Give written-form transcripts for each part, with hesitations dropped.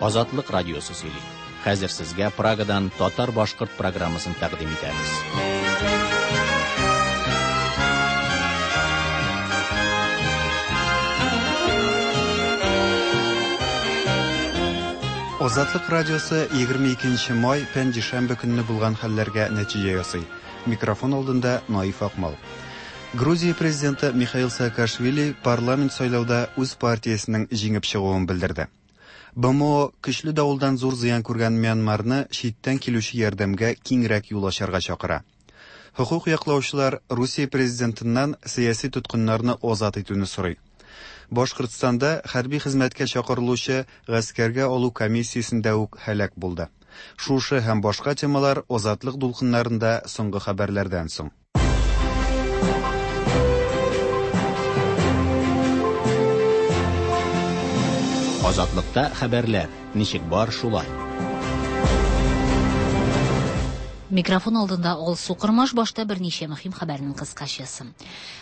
Азатлык радиосы сөйли. Хәзер сезгә Прагадан татар-башкорт программасын тәкъдим итәбез. Азатлык радиосы 22 май пәнҗешәмбе көнне булган хәлләргә нәтиҗә ясый. Микрофон алдында Наиф Акмал. Грузия президенты Михаил Саакашвили парламент сайлауда үз партиясенең җиңеп чыгуын белдерде. БМО көчле давылдан зур зыян күргән Мьянмарны читтән килүче ярдәмгә киңрәк юл ачарга чакыра. Хокук яклаучылар Русия президентыннан сәяси тоткыннарны азат итүне сорый. Башкортстанда хәрби хезмәткә чакырылучы гаскәргә алу комиссиясендә үк һәлак булды. Шушы һәм башка темалар Азатлык дулкыннарында соңгы хәбәрләрдән соң. Азатлыкта хәбәрләр ничек бар шулай. Микрофон алдында Алсу Кормаш, башта берничә мөһим хәбәрнең кыскачасы.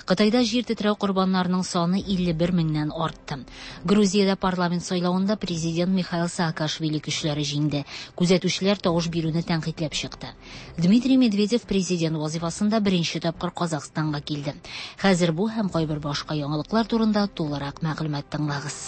Кытайда җир тетрәү корбаннарының саны 51 меңнән артты. Грузиядә парламент сайлавында президент Михаил Саакашвили көчләре җиңде. Күзәтүчеләр тавыш бирүне тәнкыйтьләп чыкты. Дмитрий Медведев президент вазифасында беренче тапкыр Казахстанга килде. Хәзер бу һәм кайбер башка яңалыклар турында тулырак мәгълүмат тыңлагыз.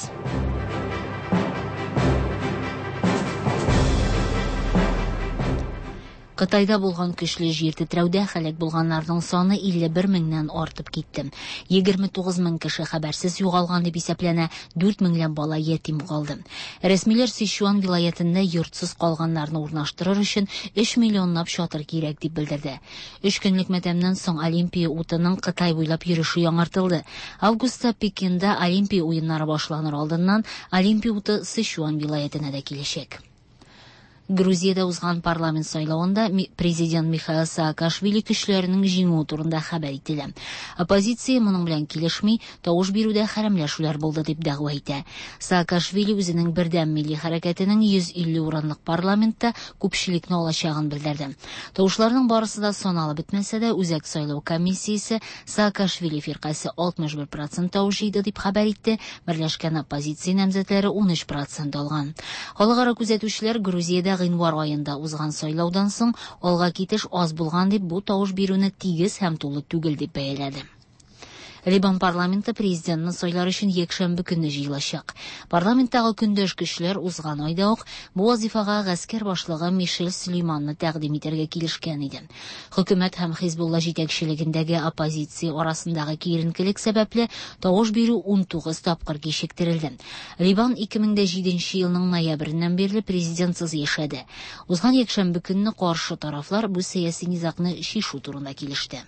Кытайда булган көчле җир тетрәүдә һәлак булганнарның саны 51 меңнән артып китте. 29 мең кеше хәбәрсез югалган дип исәпләнә, 4 меңләп бала ятим калды. Рәсмиләр Сычуан вилаятендә йортсыз калганнарны урнаштырыр өчен 3 миллионлап чатыр кирәк дип белдерде. 3 көнлек матәмнән соң Олимпия утының Кытай буйлап йөреше яңартылды. Августта Пекинда Олимпия уеннары башланыр алдыннан Олимпия уты Сычуан вилаятенә дә киләчәк. Грузиядә узган парламент сайлавында президент Михаил Саакашвили көчләренең җиңүе турында хәбәр ителә. Оппозиция моның белән килешми, тавыш бирүдә хәрәмләшүләр булды дип дәгъва итә. Саакашвили үзенең бердәм милли хәрәкәтенең 150 урынлык парламентта күпчелекне алачагын белдерде. Тавышларның барысы да саналып бетмәсә дә, Үзәк сайлау комиссиясе Саакашвили фиркасе 61% тавыш җыйды дип хәбәр итте, берләшкән оппозиция намзәтләре 13% алган. Халыкара күзәтүчеләр Грузиядә гыйнвар аенда узган сайлаудан соң алга китеш аз булган дип бу тавыш бирүне тигез һәм тулы түгел дип бәяләде. Либан парламенты президентны сайлар өчен якшәмбе көнне җыелачак. Парламенттагы көндәш көчләр узган айда ук бу вазифага гаскәр башлыгы Мишель Сөлейманны тәкъдим итәргә килешкән иде. Хөкүмәт һәм Хизбулла җитәкчелегендәге оппозиция арасындагы киеренкелек сәбәпле тавыш бирү 19 тапкыр кичектерелде. Либан 2007 елның ноябреннән бирле президентсыз яшәде. Узган якшәмбе көнне каршы тарафлар бу сәяси низагны чишү турында килеште.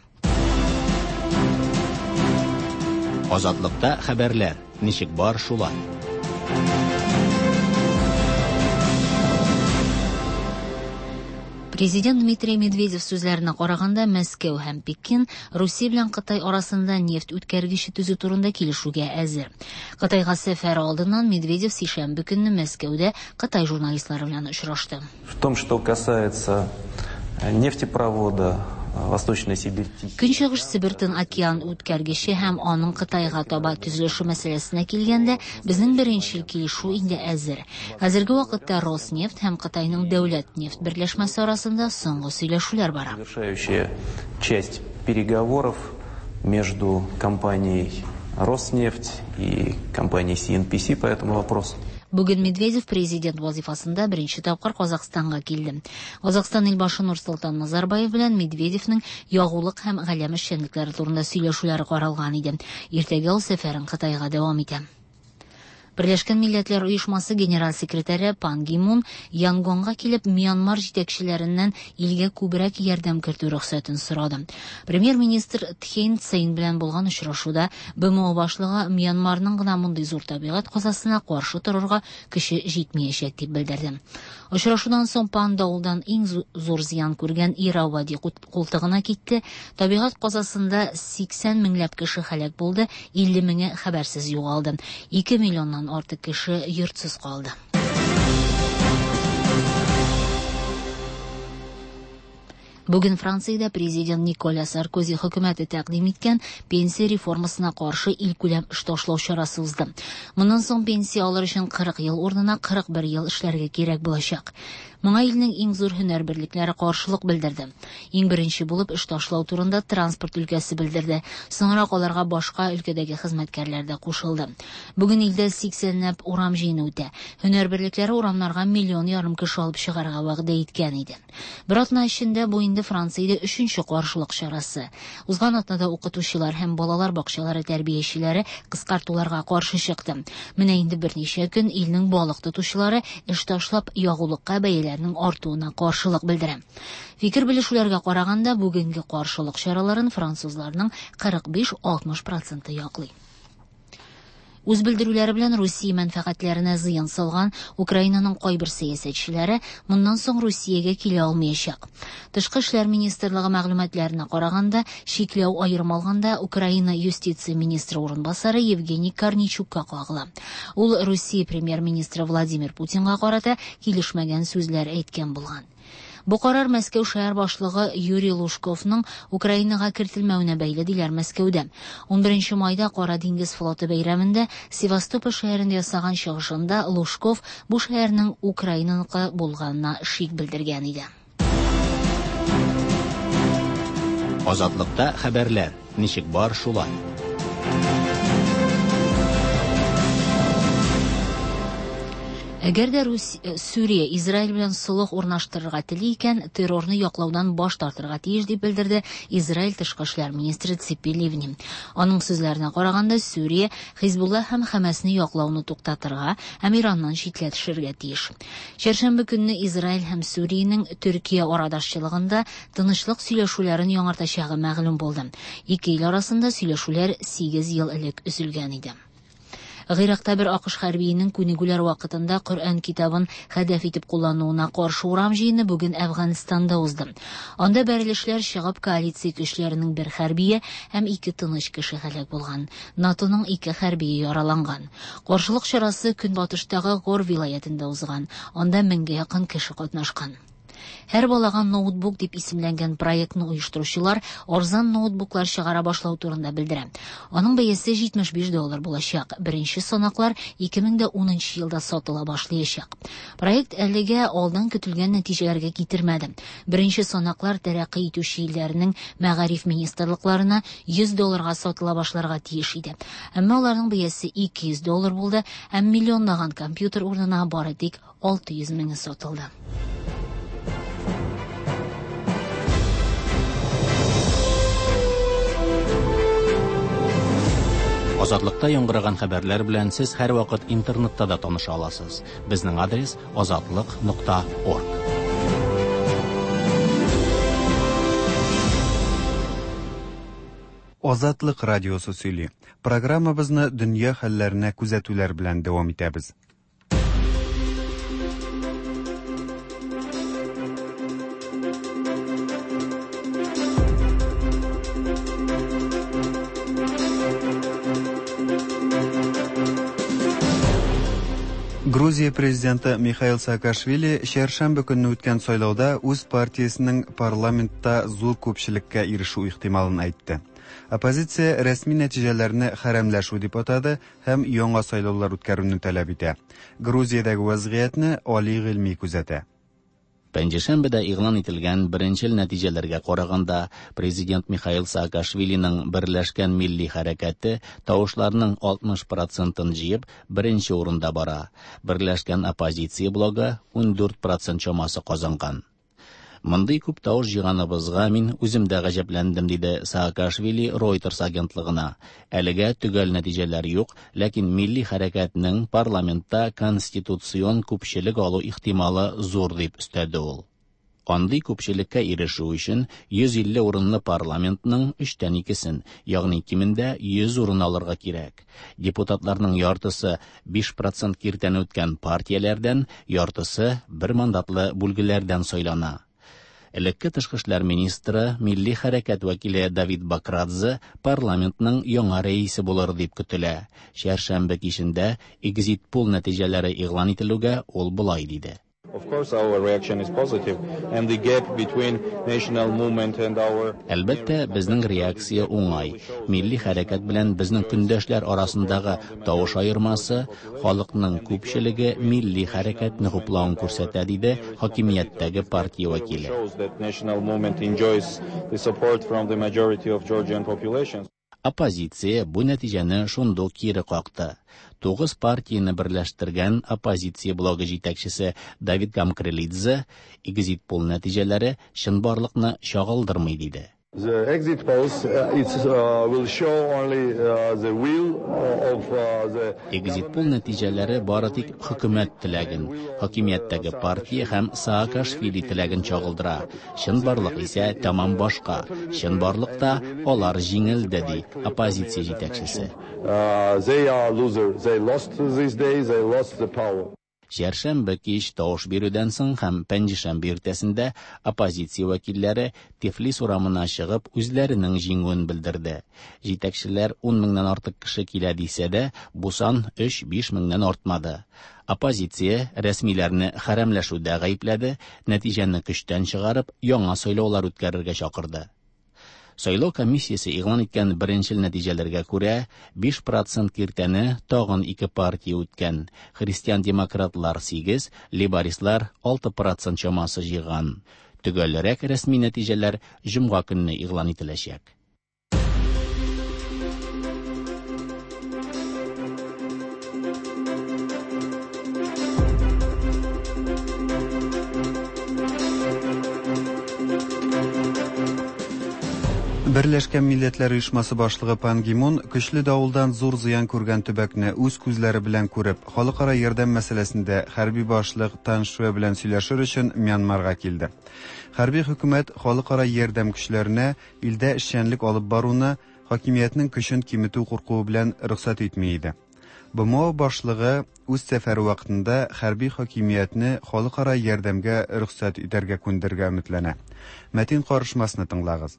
Азатлыкта хәбәрләр ничек бар шулай. Президент Дмитрий Медведев сүзләренә караганда, Мәскәү һәм Пекин Русия белән Кытай арасында нефть үткәргече төзү турында килешүгә әзер. Кытайга сәфәр алдыннан Медведев сишәмбе көнне Мәскәүдә Кытай журналистлары белән очрашты. В том, что касается нефтепровода Восточная Сибирь. Көнчыгыш Себер Тын океан үткәргече һәм аның Кытайга таба төзелеше мәсьәләсенә килгәндә, безнең беренчел килешү инде әзер. Хәзерге вакытта Роснефть һәм Кытайның дәүләт нефть берләшмәсе арасында соңгы сөйләшүләр бара. Завершающая часть переговоров между компанией Роснефть и компанией CNPC по этому вопросу. Бүген Медведев президент вазифасында беренче тапкыр Казахстанга килде. Казахстан илбашы Нурсултан Назарбаев белән Медведевнең ягулык һәм галәм эшчәнлекләре турында сөйләшүләре каралган иде. Иртәгә ул сәфәрен Кытайга дәвам итә. Берләшкән Милләтләр Оешмасы генераль секретаре Пан Ги Мун Янгонга килеп Мьянмар җитәкчеләреннән илгә күбрәк ярдәм кертү рөхсәтен сорады. Премьер-министр Тхейн Цейн белән булган очрашуда БМО башлыгы Мьянмарның гына мондый зур табигать казасына каршы торырга көче җитмәячәк дип белдерде. Очрашудан соң Пан давылдан иң зур зыян күргән Иравади култыгына китте. Табигать казасында 80 меңләп кеше һәлак булды, 50 меңе хәбәрсез югалды. 2 миллионнан артык кеше йортсыз калды. Бүген Франциядә президент Николя Саркози хөкүмәте тәкъдим иткән пенсия реформасына каршы илкүләм эш ташлау чарасы узды. Моннан соң пенсия алыр өчен 40 ел урынына 41 ел эшләргә кирәк булачак. Моңа илнең иң зур һөнәр берлекләре каршылык белдерде. Иң беренче булып эш ташлау турында транспорт өлкәсе белдерде. Соңрак аларга башка өлкәдәге хезмәткәрләр дә кушылды. Бүген илдә 80ләп урам җыены үтә. Һөнәр берлекләре урамнарга 1,5 миллион кеше алып чыгарга вәгъдә иткән иде. Бер атна эчендә бу инде Франциядә өченче каршылык чарасы. Узган атнада укытучылар һәм балалар бакчалары тәрбиячеләре кыскартуларга каршы чыкты. Менә инде берничә көн илнең балык тотучылары эш ташлап ягулыкка бәяләрнең артуына каршылык белдерә. Фикер белешүләргә караганда, бүгенге каршылык чараларын французларның 45-60% яклый. Үз белдерүләре белән Русия мәнфәгатьләренә зыян салган Украинаның кайбер сәясәтчеләре моннан соң Русиягә килә алмаячак. Тышкы эшләр министрлыгы мәгълүматларына караганда, чикләү аерым алганда Украина юстиция министры урынбасары Евгений Корнейчукка кагыла. Ул Русия премьер-министры Владимир Путинга карата килешмәгән сүзләр әйткән булган. Бу карар Мәскәү шәһәр башлыгы Юрий Лужковның Украинага кертелмәвенә бәйле, диләр Мәскәүдә. 11 майда Кара диңгез флоты бәйрәмендә Севастополь шәһәрендә ясаган чыгышында Лужков бу шәһәрнең Украинаныкы булганына шик белдергән иде. Азатлыкта хәбәрләр ничек бар шулай. Әгәр дә Сүрия Израиль белән солых урнаштырырга тели икән, террорны яклаудан баш тартырга тиеш, дип белдерде Израиль тышкы эшләр министры Ципи Ливни. Аның сүзләренә караганда, Сүрия Хизбулла һәм Хәмәсне яклауны туктатырга һәм Ираннан читләтешергә тиеш. Чәршәмбе көнне Израиль һәм Сүриянең Төркия арадашчылыгында тынычлык сөйләшүләрен яңартачагы мәгълүм булды. Ике ил арасында сөйләшүләр 8 ел элек өзелгән иде. Гыйракта бер АКШ хәрбиенең күнегүләр вакытында Коръән китабын хәдәф итеп куллануына каршы урам җыены бүген Әфганстанда узды. Анда бәрелешләр чыгып, коалиция көчләренең бер хәрбие һәм 2 тыныч кеше һәлак булган. НАТОның 2 хәрбие яраланган. Каршылык чарасы көнбатыштагы Гор вилаятендә узган. Анда 1000гә якын кеше катнашкан. Һәр балага ноутбук дип исемләнгән проектны оештыручылар арзан ноутбуклар чыгара башлау турында белдерә. Аның бәясе $75 булачак. Беренче санаклар 2010 елда сатыла башлаячак. Проект әлегә алдан көтелгән нәтиҗәләргә китермәде. Беренче санаклар тәрәкъкый итүче илләрнең мәгариф министрлыкларына $100 сатыла башларга тиеш иде. Әмма аларның бәясе $200 булды һәм миллионлаган компьютер урынына бары тик 600 меңе сатылды. Азатлыкта яңгыраган хәбәрләр белән сез һәрвакыт интернетта да таныша аласыз. Безнең адрес azatliq.org. Азатлык радиосы сөйли. Программабызны дөнья хәлләренә күзәтүләр белән дәвам итәбез. Грузия президенты Михаил Саакашвили чәршәмбе көнне үткән сайлауда үз партиясенең парламентта зур күпчелеккә ирешү ихтималын әйтте. Оппозиция рәсми нәтиҗәләрне хәрәмләшү дип атады һәм яңа сайлаулар үткәрүне таләп итә. Грузиядәге вазгыятьне Али Гыйльми күзәтә. Пәнҗешәмбедә игълан ителгән беренчел нәтиҗәләргә караганда, президент Михаил Саакашвилиның Берләшкән милли хәрәкәте тавышларның 60%-ын җыеп, беренче урында бара. Берләшкән оппозиция блогы 14% чамасы казанган. Мондый күп тавыш җыйганыбызга мин үзем дә гаҗәпләндем, диде Саакашвили Reuters агентлыгына. Әлегә төгәл нәтиҗәләр юк, ләкин милли хәрәкәтнең парламентта конституцион күпчелек алу ихтималы зур дип өстәде ул. Андый күпчелеккә ирешү өчен 150 урынлы парламентның 2/3-сен, ягъни кимендә 100 урын алырга кирәк. Депутатларның яртысы 5% киртәне үткән партияләрдән, яртысы бер мандатлы бүлгеләрдән сайлана. Элекке тышкы эшләр министры, милли хәрәкәт вәкиле Давид Бакрадзе парламентның яңа рәисе булыр дип көтелә. Чәршәмбе кичендә экзит-пул нәтиҗәләре игълан ителүгә ул болай диде. Of course, our reaction is positive, and the gap between national movement and our Әлбәттә, безнең реакция уңай. Милли хәрәкәт белән безнең көндәшләр арасындагы тавыш аермасы халыкның күпчелеге милли хәрәкәтне хуплавын күрсәтә, диде хакимияттәге партия вәкиле. shows that national movement enjoys the support from the majority of Georgian population. Оппозиция бу нәтиҗәне шундук кире какты. Тугыз партияне берләштергән оппозиция блогы җитәкчесе Давид Гамкрелидзе экзит-пол нәтиҗәләре чынбарлыкны чагылдырмый диде. The exit polls will show only the will of the Экзит-пол нәтиҗәләре бары тик хөкүмәт теләген, хакимияттәге партия һәм Саакашвили теләген чагылдыра. Чынбарлык исә тәмам башка. Чынбарлыкта алар җиңелде, ди оппозиция җитәкчесе. They are loser. They lost this day. They lost the power. Чәршәмбе кич тавыш бирүдән соң һәм пәнҗешәмбе иртәсендә оппозиция вәкилләре Тифлис урамына чыгып үзләренең җиңүен белдерде. Җитәкчеләр 10 меңнән артык кеше килә дисә дә, бу сан 3-5 меңнән артмады. Оппозиция рәсмиләрне хәрәмләшүдә гаепләде, нәтиҗәне көчтән чыгарып, яңа сайлаулар үткәрергә чакырды. Сайлау комиссиясе игълан иткән беренчел нәтиҗәләргә күрә, 5% киртәне тагын ике партия үткән. Христиан-демократлар 8, лейбористлар 6% чамасы җыйган. Төгәлрәк рәсми нәтиҗәләр җомга көнне игълан ителәчәк. Берләшкән Милләтләр Оешмасы башлыгы Пан Ги Мун көчле давылдан зур зыян күргән төбәкне үз күзләре белән күреп, халыкара ярдәм мәсьәләсендә хәрби башлык Тан Шуэ белән сөйләшер өчен Мьянмарга килде. Хәрби хөкүмәт халыкара ярдәм көчләренә илдә эшчәнлек алып баруны хакимиятнең көчен киметү куркуы белән рөхсәт итми иде. БМО башлыгы үз сәфәре вакытында хәрби хакимиятне халыкара ярдәмгә рөхсәт итәргә күндерергә өметләнә. Мәтин карышмасны тыңлагыз.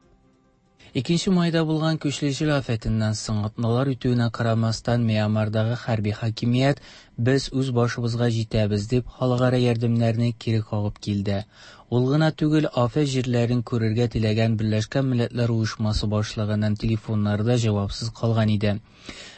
2 майда булган көчле җил афәтеннән соң атналар үтүенә карамастан Мьянмардагы хәрби хакимият без үз башыбызга җитәбез дип халыкара ярдәмнәрне кире кагып килде. Ул гына түгел, афәт җирләрен күрергә теләгән Берләшкән Милләтләр Оешмасы башлыгының телефоннары да җавапсыз калган иде.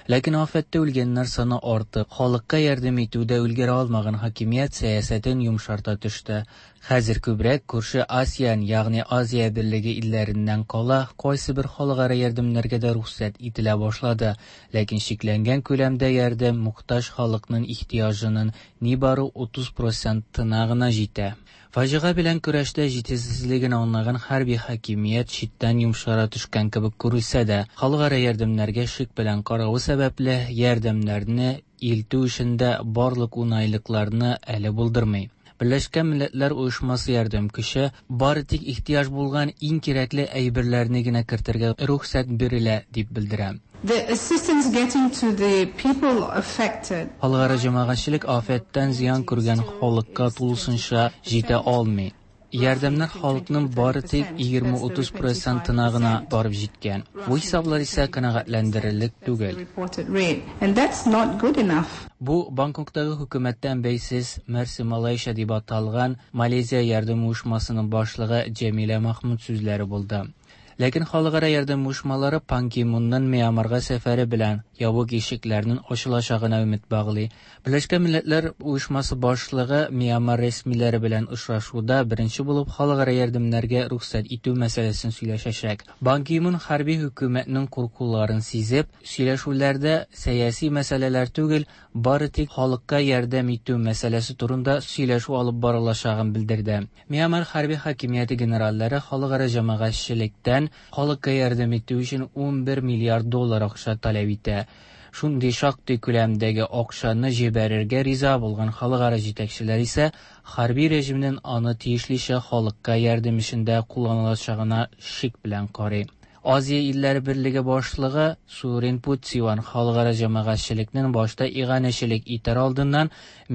Ләкин афәттә үлгәннәр саны артып, халыкка ярдәм итүдә өлгерә алмаган хакимият сәясәтен йомшарта төште. Хәзер күбрәк күрше АСЕАН, ягъни Азия берлеге илләреннән кала, кайсы бер халыкара ярдәмнәргә дә рөхсәт ителә башлады. Ләкин чикләнгән күләмдә ярдәм мохтаҗ халыкның ихтыяҗының нибары 30%-ына гына җитә. Фаҗига белән көрәштә җитешсезлеген аңлаган хәрби хакимият читтән йомшара төшкән кебек күренсә дә, халыкара ярдәмнәргә шик белән каравы сәбәпле ярдәмнәрне илтү эшендә барлык уңайлыкларны әле булдырмый. Берләшкән Милләтләр Оешмасы ярдәм көче бары тик ихтыяҗ булган иң кирәкле әйберләрне генә кертергә рөхсәт бирелә дип белдерә. The assistance getting to the people affected. Халыкара җәмәгатьчелек афәттән зыян күргән халыкка тулысынча җитә алмый. Ярдәмнәр халыкның бары тик 20-30 процентына гына барып җиткән. Бу хисаплар исә канәгатьләндерерлек түгел. Reported rate, and that's not good enough. Бу Бангкоктагы хөкүмәттән бәйсез Мерси Малайша дип аталган Малайзия ярдәм оешмасының башлыгы Җәмилә Махмуд сүзләре булды. Ләкин халыкара ярдәм оешмалары Пан Ги Мунның Мьянмарга сәфәре белән ябык ишекләрнең ачылачагына өмет баглый. Берләшкән Милләтләр Оешмасы башлыгы Мьянмар рәсмиләре белән очрашуда беренче булып халыкара ярдәмнәргә рөхсәт итү мәсьәләсен сөйләшәчәк. Пан Ги Мун хәрби хөкүмәтнең куркуларын сизеп, сөйләшүләрдә сәяси мәсьәләләр түгел, бары тик халыкка ярдәм итү мәсьәләсе турында сөйләшү алып барылачагын белдерде. Мьянмар хәрби хакимияте генераллары халыкара җәмәгатьчелектән халыкка ярдәм итү өчен 11 миллиард доллар акча таләп итә. Шундый шактый күләмдәге акчаны җибәрергә риза булган халыкара җитәкчеләр исә хәрби режимнең аны тиешлечә халыкка ярдәм эшендә кулланылачагына шик белән карый. Aziya illari birligi boshlig'i Surin Putsivan xalqaro jamoatchilikning boshda ig'anishilik etar oldindan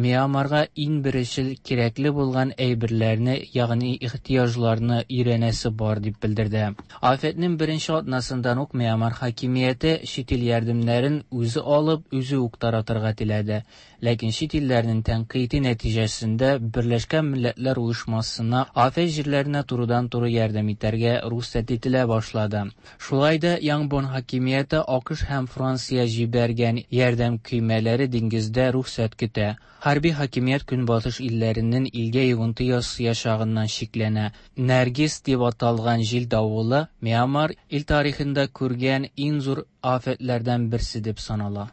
Myanmarga eng birinchi kerakli bo'lgan aybirlarni, ya'ni ehtiyojlarni o'yranasi bor deb bildirdi. Ofatning birinchi otnasidan uq Myanmar hokimiyati chet el yordamlarini o'zi olib, o'zi uq taratirga tiladi. Lekin chet ellarning tanqidi natijasida Birlashgan Millatlar Uyushmasına afet yerlerine turudan-turu yardım etarga ruxsat etila boshladi. Shulay da Yangon hokimiyati AQSh ham Fransiya jibargan yordam kuymalari dengizda ruxsat kuta. Harbiy hokimiyat kunbotish illarining ilga yig'inti yasayashog'idan sheklana. Nargis deb atalgan jil davuli Myanmar il tarixida ko'rgan eng zo'r ofatlardan birsi deb sanaladi.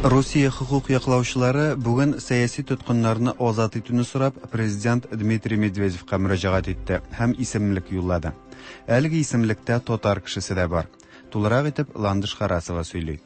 Россия хукук яклаучылары бүген сәяси тоткыннарны азат итүне сорап президент Дмитрий Медведевка мөрәҗәгать итте һәм исемлек юллады. Әлеге исемлектә татар кешесе дә бар. Тулырак итеп Ландыш Харасова сөйли.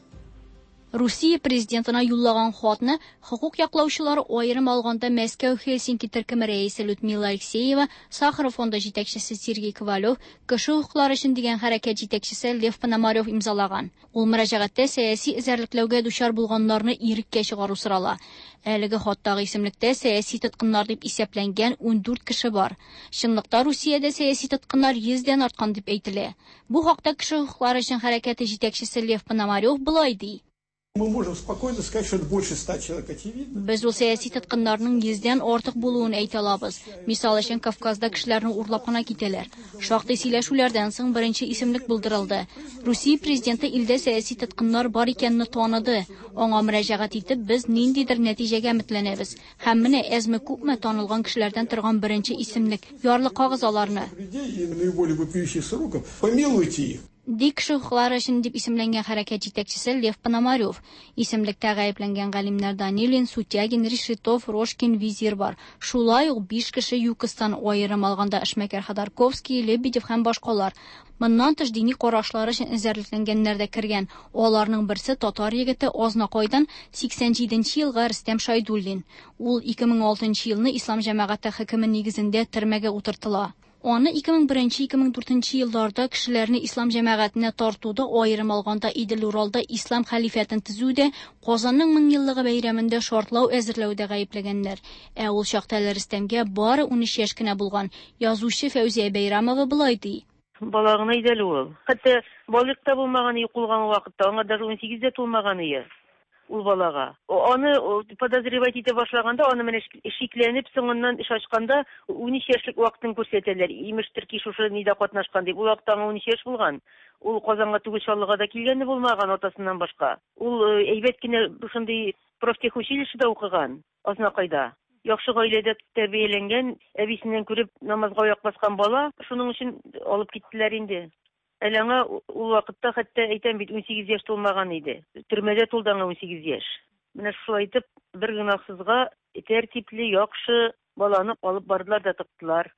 Русия президентына юллаган хатны хукук яклаучылары аерым алганда Мәскәү Хельсинки төркеме рәисе Людмила Алексеева, Сахаров фонды җитәкчесе Сергей Ковалев, кеше хокуклары өчен дигән хәрәкәт җитәкчесе Лев Пономарев имзалаган. Ул мөрәҗәгатьтә сәяси эзәрлекләүгә дучар булганнарны иреккә чыгару сорала. Әлеге хаттагы исемлектә сәяси тоткыннар дип исәпләнгән 14 кеше бар. Чынлыкта Русиядә сәяси тоткыннар 100дән арткан дип әйтелә. Бу хакта кеше хокуклары өчен хәрәкәте җитәкчесе Лев Пономарев болай ди. Мы можем спокойно сказать, что это больше 100 человек, очевидно. Без ул сәяси тоткыннарның 100дән артык булуын әйтә алабыз. Мисал өчен, Кавказда кешеләрне урлап кына китәләр. Шактый сөйләшүләрдән соң беренче исемлек булдырылды. Русия президенты илдә сәяси тоткыннар бар икәнне таныды. Аңа мөрәҗәгать итеп, без ниндидер нәтиҗәгә өметләнәбез. Һәм менә әзме-күпме танылган кешеләрдән торган беренче исемлек. Ярлыкагыз аларны. Людей и наиболее вопиющих сроков, помилуйте их. Ди кеше хокуклары өчен дип исемләнгән хәрәкәт җитәкчесе Лев Пономарев. Исемлектә гаепләнгән галимнәр Данилин, Сутягин, Решетов, Рожкин, Визир бар. Шулай ук 5 кеше ЮКОСтан, аерым алганда эшмәкәр Ходорковский, Лебедев һәм башкалар. Моннан тыш дини карашлары өчен эзәрлекләнгәннәр дә кергән. Аларның берсе татар егете Азнакайдан 87 елгы Рөстәм Шайдуллин. Ул 2006 елны Ислам җәмәгате хөкеме нигезендә төрмәгә утыртыла. Аны 2001-2004 елларда кешеләрне ислам җәмәгатенә тартуда, аерым алганда Идел-Уралда ислам хәлифәтен төзүдә, Казанның меңьеллыгы бәйрәмендә шартлау әзерләүдә гаепләгәннәр. Ә ул чакта әле Рөстәмгә бары 13 яшь кенә булган. Язучы Фәүзия Бәйрамова болай ди. Бала гына иде әле ул. Хәтта балигъ та булмаган кулган вакытта, аңа даже 18 дә тулмаган иде ул балага. Аны подозревать итә башлаганда, аны менә шикләнеп, соңыннан эш ачканда 13 яшьлек вакытын күрсәтәләр. Имештер ки, шушы нидә катнашкан дип. Ул вакытта аңа 13 яшь булган. Ул Казанга түгел, Чаллыга да килгәне булмаган атасыннан башка. Ул әйбәт кенә шундый профтехучилищеда укыган, Азнакайда. Яхшы гаиләдә тәрбияләнгән, әбисеннән күреп намазга аяк баскан бала, шуның өчен алып киттеләр инде. Әле аңа ул вакытта хәтта әйтәм бит 18 яшь тулмаган иде. Төрмәдә тулды аңа 18 яшь. Менә шулай итеп бер гөнаһсызга тәртипле, яхшы баланы алып бардылар да тыктылар.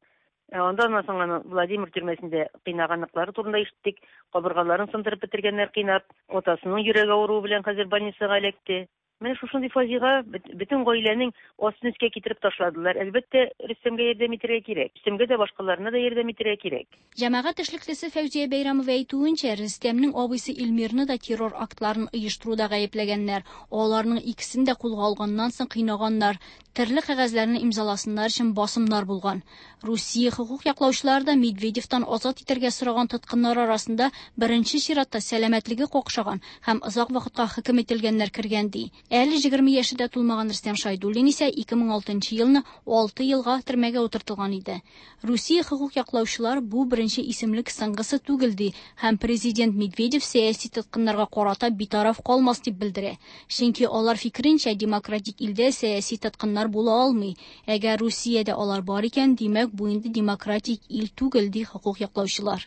Андан соң аны Владимир төрмәсендә кыйнаганлыклары турында ишеттек. Кабыргаларын сындырып бетергәннәр кыйнап, атасының йөрәге авыруы белән хәзер больницага эләкте. Менә шушындый фаҗига бөтен гаиләнең астын өскә китереп ташладылар. Әлбәттә, Рөстәмгә ярдәм итәргә кирәк. Рөстәмгә дә, башкаларына да ярдәм итәргә кирәк. Җәмәгать эшлеклесе Фәүзия Бәйрамова әйтүенчә, Рөстәмнең абыйсы Илмирны да террор актларын оештыруда гаепләгәннәр. Аларның икесен дә кулга алганнан соң кыйнаганнар. Төрле кәгазьләрне имзаласыннар өчен басымнар булган. Русия хукук яклаучылары да Медведевтан азат итәргә сораган тоткыннар арасында беренче чиратта сәламәтлеге какшаган һәм озак вакытка хөкем ителгәннәр кергән ди. Әле 20 яше дә тулмаган Рөстәм Шайдуллин исә 2006 елны 6 елга төрмәгә утыртылган иде. Русия хукук яклаучылар бу беренче исемлек соңгысы түгел ди һәм президент Медведев сәяси тоткыннарга карата битараф калмас дип белдерә. Чөнки алар фикеренчә, демократик илдә сәяси тоткыннар була алмый. Әгәр Русиядә алар бар икән, димәк бу инде демократик ил түгел ди хукук яклаучылар.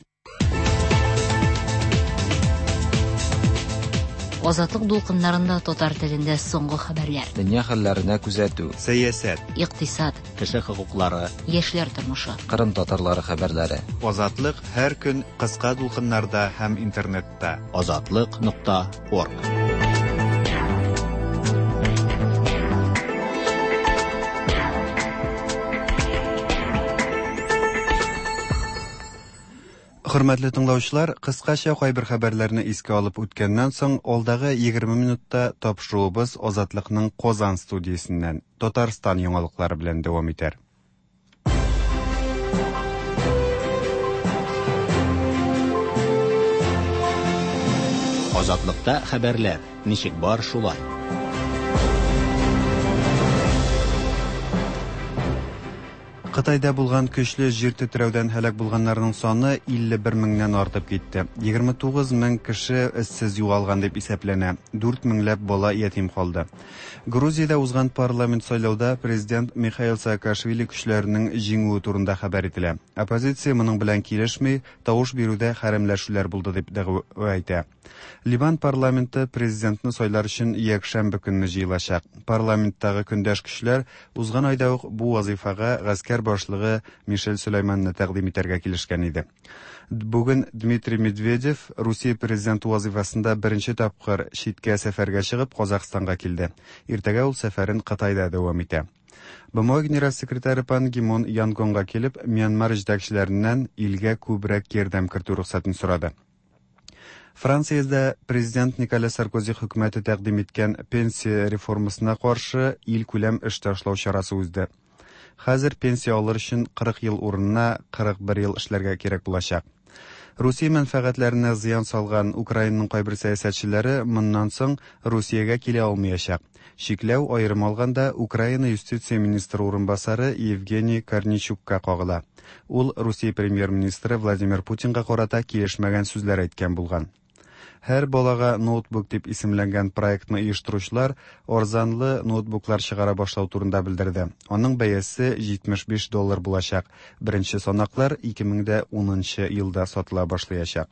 Азатлык дулкыннарында татар телендә соңгы хәбәрләр. Дөнья хәлләренә күзәтү. Сәясәт. Икътисад. Кеше хокуклары. Яшьләр тормышы. Кырым татарлары хәбәрләре. Азатлык һәр көн кыска дулкыннарда һәм интернетта. Азатлык.орг. Хөрмәтле тыңлаучылар, кыскача кайбер хәбәрләрне искә алып үткәннән соң, алдагы 20 минутта тапшыруыбыз Азатлыкның Казан студиясеннән Татарстан яңалыклары белән дәвам итәр. Азатлыкта хәбәрләр ничек бар шулай. Кытайда булган көчле җир тетрәүдән һәлак булганнарның саны 51 меңнән артып китте. 29 мең кеше эзсез югалган дип исәпләнә. 4 меңләп бала ятим калды. Грузиядә узган парламент сайлауда президент Михаил Саакашвили көчләренең җиңүе турында хәбәр ителә. Оппозиция моның белән килешми, тавыш бирүдә хәрәмләшүләр булды дип дәгъва әйтә. Ливан парламенты президентны сайлар өчен якшәмбе көнне җыелачак. Парламенттагы көндәш көчләр узган айда ук бу вазифага гаскәр башлыгы Мишель Сөләйманны тәкъдим итәргә килешкән иде. Бүген Дмитрий Медведев Русия президенты вазифасында беренче тапкыр читкә сәфәргә чыгып Казахстанга килде. Иртәгә ул сәфәрен Кытайда дәвам итә. БМО генераль секретаре Пан Ги Мун Янгонга килеп, Мьянмар җитәкчеләреннән илгә күбрәк ярдәм кертү рөхсәтен сорады. Франциядә президент Николя Саркози хөкүмәте тәкъдим иткән пенсия реформасына каршы илкүләм эш ташлау чарасы узды. Хәзер пенсия алыр өчен 40 ел урынына 41 ел эшләргә кирәк булачак. Русия мәнфәгатьләренә зыян салган Украинаның кайбер сәясәтчеләре моннан соң Русиягә килә алмаячак. Чикләү аерым алганда Украина юстиция министры урынбасары Евгений Корнейчукка кагыла. Ул Русия премьер-министры Владимир Путинга карата килешмәгән сүзләр әйткән булган. Һәр балага ноутбук дип исемләнгән проектны оештыручылар арзанлы ноутбуклар чыгара башлау турында белдерде. Аның бәясе 75 доллар булачак. Беренче санаклар 2010 елда сатыла башлаячак.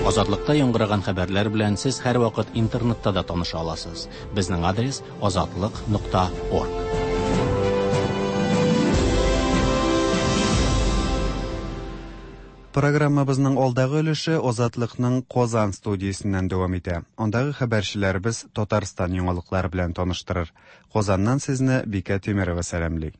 Азатлыкта яңгыраган хәбәрләр белән сез һәрвакыт интернетта да таныша аласыз. Безнең адрес азатлык.орг. Программабызның алдагы өлеше Азатлыкның Казан студиясеннән дәвам итә. Андагы хәбәрчеләребез Татарстан яңалыклары белән таныштырыр. Казаннан сезне Бикә Тимерова сәламли.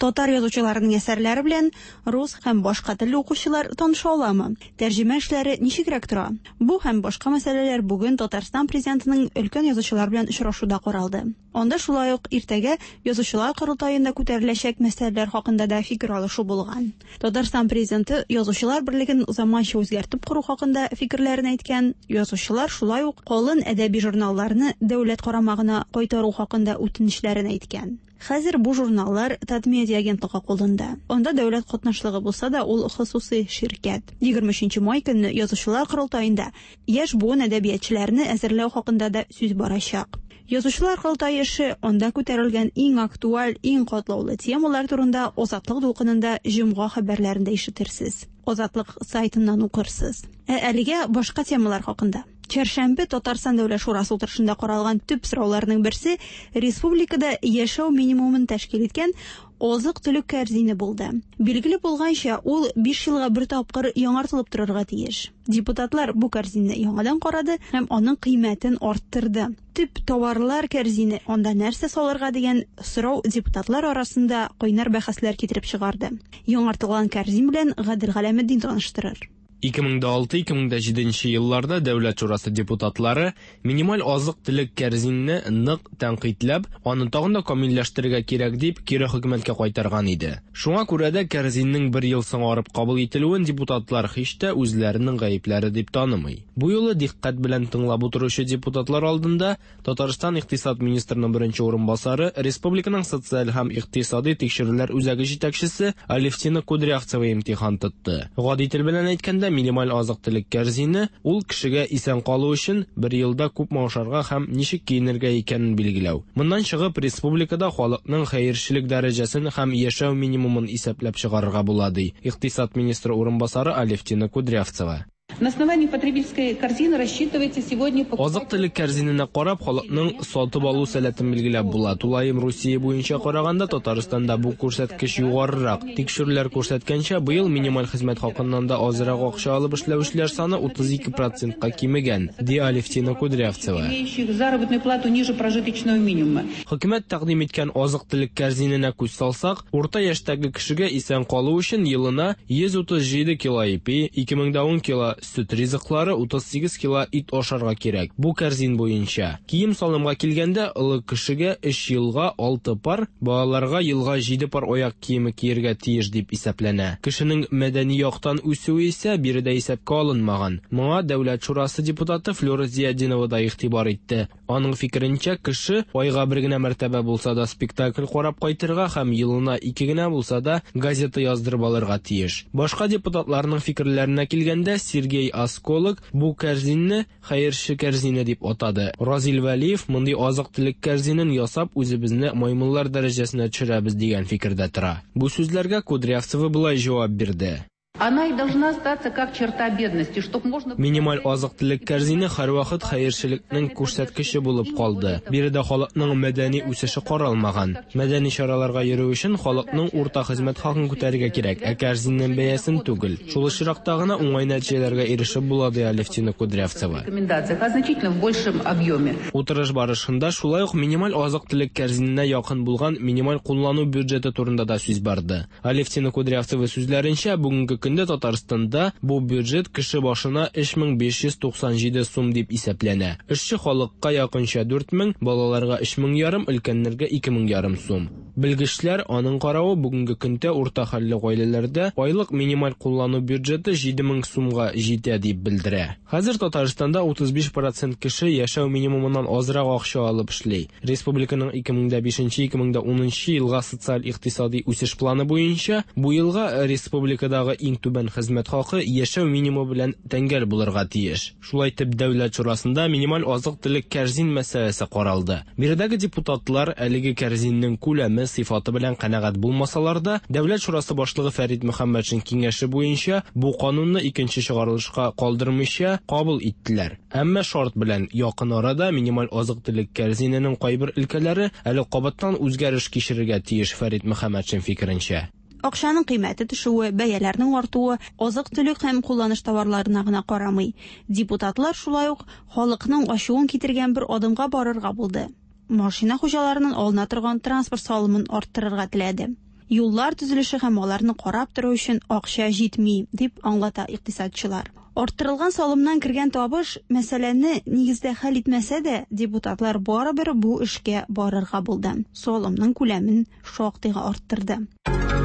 Татар язучыларының әсәрләре белән рус һәм башка телле укучылар таныша аламы? Тәрҗемә эшләре ничегрәк тора? Бу һәм башка мәсьәләләр бүген Татарстан президентының өлкән язучылар белән очрашуда каралды. Анда шулай ук иртәгә язучылар корылтаенда күтәреләчәк мәсьәләләр хакында да фикер алышу булган. Татарстан президенты язучылар берлеген заманча үзгәртеп кору хакында фикерләрен әйткән. Язучылар шулай ук калын әдәби журналларны дәүләт карамагына кайтару хакында үтенечләрен әйткән. Хәзер бу журналлар Татмедиа агентлыгы кулында. Анда дәүләт катнашлыгы булса да, ул хосусый ширкәт. 23 май көнне язучылар корылтаенда яшь буын әдәбиятчыларны әзерләү хакында да сүз барачак. Язучылар корылтае эше анда күтәрелгән иң актуаль, иң катлаулы темалар турында Азатлык дулкынында җомга хәбәрләрендә ишетерсез. Азатлык сайтыннан укырсыз. Ә әлегә башка темалар хакында. Чәршәмбе Татарстан Дәүләт Шурасы утырышында каралган төп сорауларның берсе республикада яшәү минимумын тәшкил иткән азык-төлек кәрзине булды. Билгеле булганча, ул 5 елга бер тапкыр яңартылып торырга тиеш. Депутатлар бу кәрзинне яңадан карады һәм аның кыйммәтен арттырды. Төп товарлар кәрзине, анда нәрсә салырга дигән сорау депутатлар арасында кайнар бәхәсләр китереп чыгарды. Яңартылган кәрзин белән Гадел Галәметдин таныштырыр. 2006-2007 елларда Дәүләт шурасы депутатлары минималь азык-төлек кәрзинне нык тәнкыйтьләп, аны тагын да камилләштерергә кирәк дип кире хөкүмәткә кайтарган иде. Шуңа күрә дә кәрзиннең бер ел соңарып кабул ителүен депутатлар һич тә үзләренең гаепләре дип танымый. Бу юлы дикъкать белән тыңлап утыручы депутатлар алдында Татарстан икътисад министрының беренче урынбасары, республиканың социаль һәм икътисади тикшерүләр үзәге җитәкчесе Алевтина Кудрявцева имтихан тотты. Гади тел белән әйткәндә, минималь азык-төлек кәрзине, ул кешегә исән калу өчен бер елда күпме ашарга һәм ничек киенергә икәнен билгеләү. Моннан чыгып, республикада халыкның хәерчелек дәрәҗәсен һәм яшәү минимумын исәпләп чыгарырга була, ди икътисад министры урынбасары Алевтина Кудрявцева. На основании потребительской корзины рассчитывается сегодня... Азык-төлек кәрзиненә карап, халыкның сатып алу сәләтен билгеләп була. Тулаем Русия буенча караганда, Татарстанда бу күрсәткеч югарырак. Тикшерүләр күрсәткәнчә, быел минималь хезмәт хакыннан да азрак акча алып эшләүчеләр саны 32 процентка кимегән, ди Алевтина Кудрявцева. Имеющих заработную плату ниже прожиточного минимума. Хөкүмәт тәкъдим иткән азык-төлек кәрзиненә күз салсак, урта яшьтәге кешегә исән калу өчен елына 137 кило ипи, 2010 кило сөт ризыклары, 38 кило ит ашарга кирәк. Бу кәрзин буенча. Кием-салымга килгәндә, олы кешегә өч елга алты пар, балаларга елга җиде пар аяк киеме киергә тиеш дип исәпләнә. Кешенең мәдәни яктан үсүе исә биредә исәпкә алынмаган. Моңа Дәүләт шурасы депутаты Флюра Зиятдинова да игътибар итте. Аның фикеренчә, кеше айга бер генә мәртәбә булса да спектакль карап кайтырга һәм елына ике генә булса да газета яздырып алырга тиеш. Башка депутатларның фикерләренә килгәндә, Сергей Осколок бу кәрзинне хәерче кәрзине дип атады. Разил Вәлиев мондый азык-төлек кәрзинен ясап үзебезне маймыллар дәрәҗәсенә төшерәбез дигән фикердә тора. Бу сүзләргә Кудрявцева болай җавап бирде. Она и должна остаться как черта бедности, чтоб можно... Минималь азык-төлек кәрзине һәрвакыт хәерчелекнең күрсәткече булып калды. Биредә халыкның мәдәни үсеше каралмаган. Мәдәни чараларга йөрү өчен халыкның урта хезмәт хакын күтәрергә кирәк, ә кәрзиннең бәясен түгел. Шул очракта гына уңай нәтиҗәләргә ирешеп була, ди Алевтина Кудрявцева. Рекомендациях, а значительно в большем объеме. Утырыш барышында шулай ук минималь азык-төлек кәрзиненә якын булган минималь куллану бюджеты турында да сүз барды. Алевтина Кудрявцева сүзләренчә, бүгенге көндә Татарстанда бу бюджет кеше башына 3597 сум дип исәпләнә. Эшче халыкка якынча 4000, балаларга 3500, өлкәннәргә 2500 сум. Белгечләр аның каравы бүгенге көндә урта хәлле гаиләләрдә айлык минималь куллану бюджеты 7000 сумга җитә дип белдерә. Хәзер Татарстанда 35% кеше яшәү минимумыннан азрак акча алып эшли. Республиканың 2005-2010 елга социаль-икътисади үсеш планы буенча бу елга республикадагы иң түбән хезмәт хакы яшәү минимумы белән тәңгәл булырга тиеш. Шулай итеп, Дәүләт шурасында минималь азык-төлек кәрзин мәсьәләсе каралды. Биредәге депутатлар әлеге кәрзиннең күләме, сыйфаты белән канәгать булмасалар да, Дәүләт шурасы башлыгы Фәрит Мөхәммәтшин киңәше буенча бу канунны икенче чыгарылышка калдырмыйча кабул иттеләр. Әмма шарт белән якын арада минималь азык-төлек кәрзиненең кайбер өлкәләре әле кабаттан үзгәреш кичерергә тиеш Фәрит Мөхәммәтшин фикеренчә. Акчаның кыйммәте төшүе, бәяләрнең артуы азык-төлек һәм кулланыш товарларына гына карамый. Депутатлар шулай ук халыкның ачуын китергән бер адымга барырга булды. Машина хуҗаларыннан алына торган транспорт салымын арттырырга теләде. Юллар төзелеше һәм аларны карап тору өчен акча җитми, дип аңлата икътисадчылар. Арттырылган салымнан кергән табыш мәсьәләне нигездә хәл итмәсә дә, депутатлар барыбер бу эшкә барырга булды. Салымның күләмен шактыйга арттырды.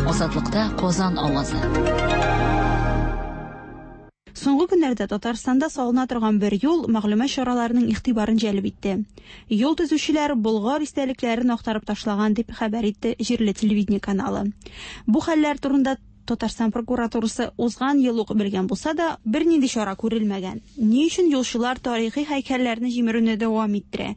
Азатлыкта Казан авазы. Соңгы көннәрдә Татарстанда салына торган бер юл мәгълүмат чараларының игътибарын җәлеп итте. Юл төзүчеләр Болгар истәлекләрен актарып ташлаган дип хәбәр итте җирле телевидение каналы. Бу хәлләр турында Татарстан прокуратурасы узган ел ук белгән булса да, бернинди чара күрелмәгән. Ни өчен юлчылар тарихи һәйкәлләрне җимерүне дәвам иттерә?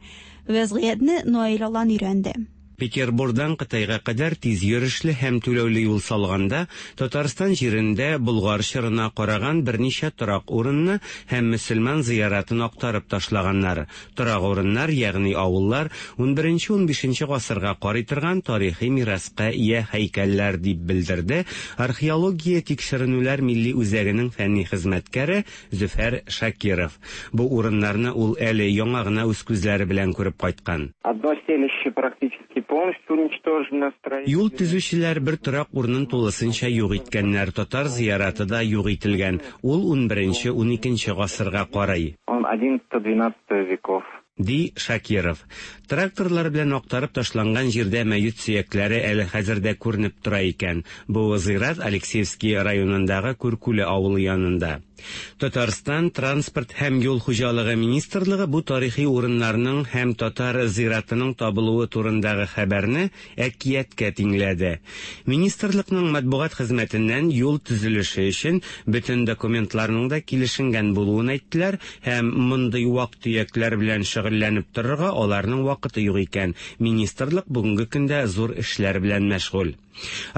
Вәзгыятьне Наил Алан өйрәнде. Петербурдан Кытайга кадәр тиз йөрешле һәм түләүле юл салганда, Татарстан җирендә Болгар чорына караган берничә торак урынны һәм мөселман зыяратын актарып ташлаганнар. Торак урыннар, ягъни авыллар, 11-15 гасырга карый торган тарихи мираска ия һәйкәлләр, дип белдерде Археология тикшеренүләр милли үзәгенең фәнни хезмәткәре Зөфәр Шакиров. Бу урыннарны ул әле яңа гына үз күзләре белән күреп кайткан. Одно селище практически полностью уничтожено. Юл төзүчеләр бер торак урынын тулысынча юк иткәннәр. Татар зыяраты да юк ителгән. Ул 11-12 гасырга карый. Он 11-12 веков. Ди Шакиров. Тракторлар белән актарып ташланган җирдә мәет сөякләре әле хәзер дә күренеп тора икән. Бу зират Алексеевский районындагы Күркүле авылы янында. Татарстан Транспорт һәм юл хуҗалыгы министрлыгы бу тарихи урыннарның һәм татар зиратының табылуы турындагы хәбәрне әкияткә тиңләде. Министрлыкның матбугат хезмәтеннән юл төзелеше өчен бөтен документларның да килешенгән булуын әйттеләр һәм мондый вак-төякләр белән шөгыльләнеп торырга аларның вакыты юк икән, министрлык бүгенге көндә зур эшләр белән мәшгуль.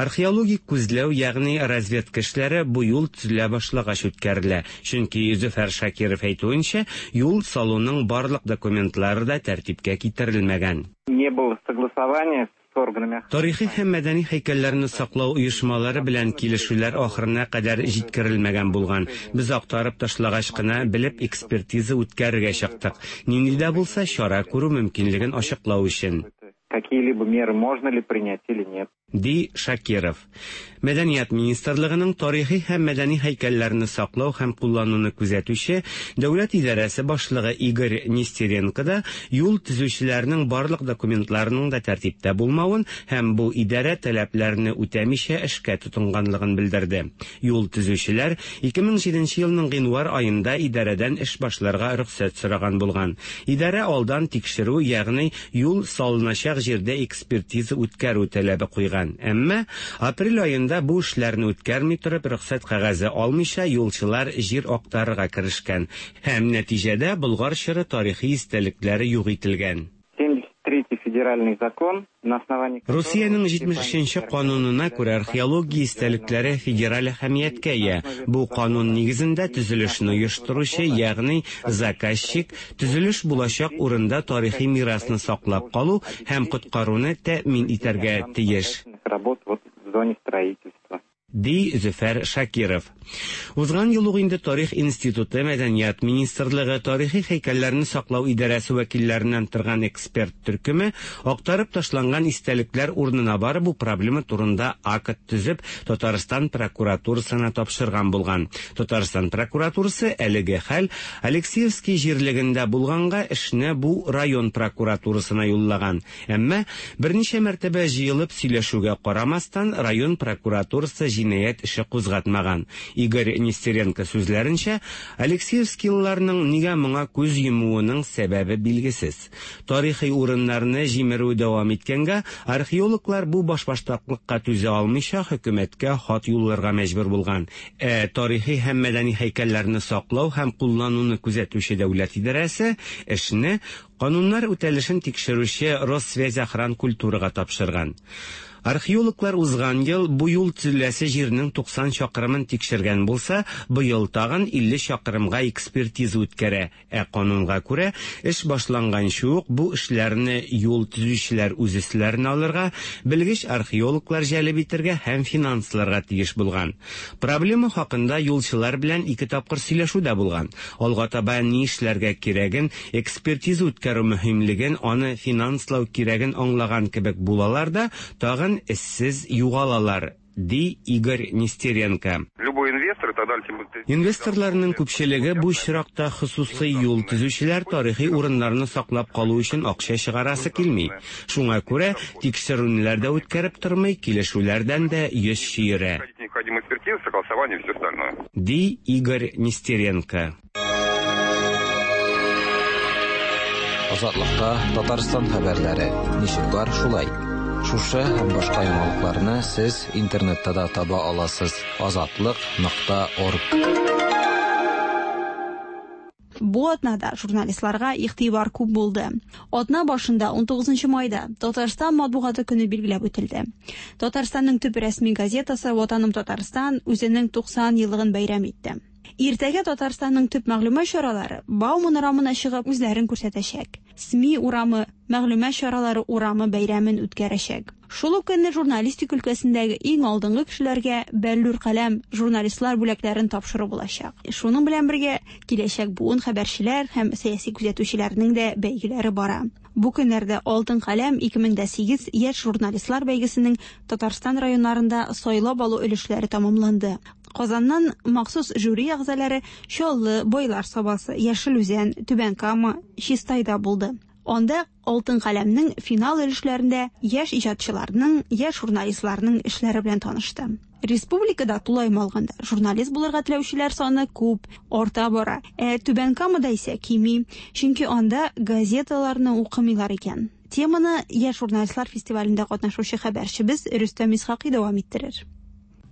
Археологик күзләү, ягъни разведка эшләре бу юл төзелә башлагач үткәрелә, чөнки Зөфәр Шакиров әйтүенчә, юл салуның барлык документлары да тәртипкә китерелмәгән. Не было согласования с органами. Тарихи һәм мәдәни һәйкәлләрне саклау оешмалары белән килешүләр ахырына кадәр җиткерелмәгән булган. Без актарып ташлагач кына белеп экспертиза үткәрергә чыктык. Нинди дә булса чара күрү мөмкинлеген ачыклау өчен. Какие-либо меры можно ли принять или нет. Ди Шакиров. Мәдәният министрлыгының тарихи һәм мәдәни һәйкәлләрне саклау һәм куллануны күзәтүче дәүләт идарәсе башлыгы Игорь Нестеренко да юл төзүчеләрнең барлык документларының да тәртиптә булмавын һәм бу идарә таләпләрне үтәмичә эшкә тотынганлыгын белдерде. Юл төзүчеләр 2007 елның гыйнвар аенда идарәдән эш башларга рөхсәт сораган булган. Идарә алдан тикшерү, ягъни юл салыначак җирдә экспертиза үткәрү таләбе куйган. Әмма апрель аенда бу эшләрне үткәрми торып, рөхсәт кәгазе алмыйча юлчылар җир актарырга керешкән һәм нәтиҗәдә Болгар чоры тарихи истәлекләре юк ителгән. 73 федеральный закон, на основании Русиянең 73 нче канунына күрә археология истәлекләре федераль әһәмияткә ия. Бу канун нигезендә төзелешне оештыручы, ягъни заказчик, төзелеш булачак урында тарихи мирасны саклап калу һәм коткаруны тәэмин итәргә тиеш. работ вот в зоне строительства. Ди Зөфәр Шакиров. Узган ел ук инде Тарих институты, Мәдәният министрлыгы, тарихи һәйкәлләрне саклау идарәсе вәкилләреннән торган эксперт төркеме актарып ташланган истәлекләр урынына барып бу проблема турында акт төзеп Татарстан прокуратурасына тапшырган булган. Татарстан прокуратурасы әлеге хәл Алексеевский җирлегендә булганга эшне бу район прокуратурасына юллаган. Әмма берничә мәртәбә җыелып сөйләшүгә карамастан, район прокуратурасы җинаять эше кузгатмаган. Игорь Нестеренко сүзләренчә, Алексеевскийларның нигә моңа күз йомуының сәбәбе билгесез. Тарихи урыннарны җимерү дәвам иткәнгә, археологлар бу башбаштаклыкка түзә алмыйча хөкүмәткә хат юлларга мәҗбүр булган. Ә тарихи һәм мәдәни һәйкәлләрне саклау һәм куллануны күзәтүче дәүләт идарәсе эшне кануннар үтәлешен тикшерүче Россвязьохранкультурага тапшырган. Археологлар узган ел бу юл төзеләсе җирнең 90 чакрымын тикшергән булса, быел тагын 50 чакрымга экспертиза үткәрә. Ә канунга күрә, эш башланганчы ук бу эшләрне юл төзүчеләр үз өсләренә алырга, белгеч археологлар җәлеп итәргә һәм финансларга тиеш булган. Проблема хакында юлчылар белән ике тапкыр сөйләшү дә булган. Алга таба ни эшләргә кирәген, экспертиза үткәрү мөһимлеген, аны финанслау кирәген аңлаган кебек булалар да, тагын эзсез югалалар, ди Игорь Нестеренко. Любой инвестор и так далее. Инвесторларның күпчелеге бу очракта хосусый юл төзүчеләр тарихи урыннарны саклап калу өчен акча чыгарасы килми. Шуңа күрә тикшерүләр дә үткәреп тормый, килешүләрдән дә йөз чөерә. Необходимая экспертиза, согласование и все остальное. Ди Игорь Нестеренко. Азатлыкта Татарстан хәбәрләре. Ничек бар, шулай. Шушы һәм башка яңалыкларны сез интернетта да таба аласыз. Азатлык.орг. Бу атнада журналистларга игътибар күп булды. Атна башында 19 майда Татарстан матбугаты көне билгеләп үтелде. Татарстанның төп рәсми газетасы Ватаным Татарстан үзенең 90 еллыгын бәйрәм итте. Иртәгә Татарстанның төп мәгълүмат чаралары Бауман урамына чыгып үзләрен күрсәтәчәк. СМИ урамы, мәгълүмат чаралары урамы бәйрәмен үткәрәчәк. Шул ук көнне журналистика өлкәсендәге иң алдынгы кешеләргә Бәллүр каләм журналистлар бүләкләрен тапшыру булачак. Шуның белән бергә киләчәк буын хәбәрчеләр һәм сәяси күзәтүчеләрнең дә бәйгеләре бара. Бу көннәрдә Алтын каләм 2008 яшь журналистлар бәйгесенең Татарстан районнарында сайлап алу өлешләре тәмамланды. Казаннан махсус жюри әгъзалары Чаллы, Байлар Сабасы, Яшел Үзән, Түбән Кама, Чистайда булды. Анда Алтын каләмнең финал өлешләрендә яшь иҗатчыларның, яшь журналистларның эшләре белән танышты. Республикада тулаем алганда журналист булырга теләүчеләр саны күп, арта бара. Ә Түбән Камада исә кими, чөнки анда газеталарны укымыйлар икән. Теманы яшь журналистлар фестивалендә катнашучы хәбәрчебез Рөстәм Исхакый дәвам иттерер.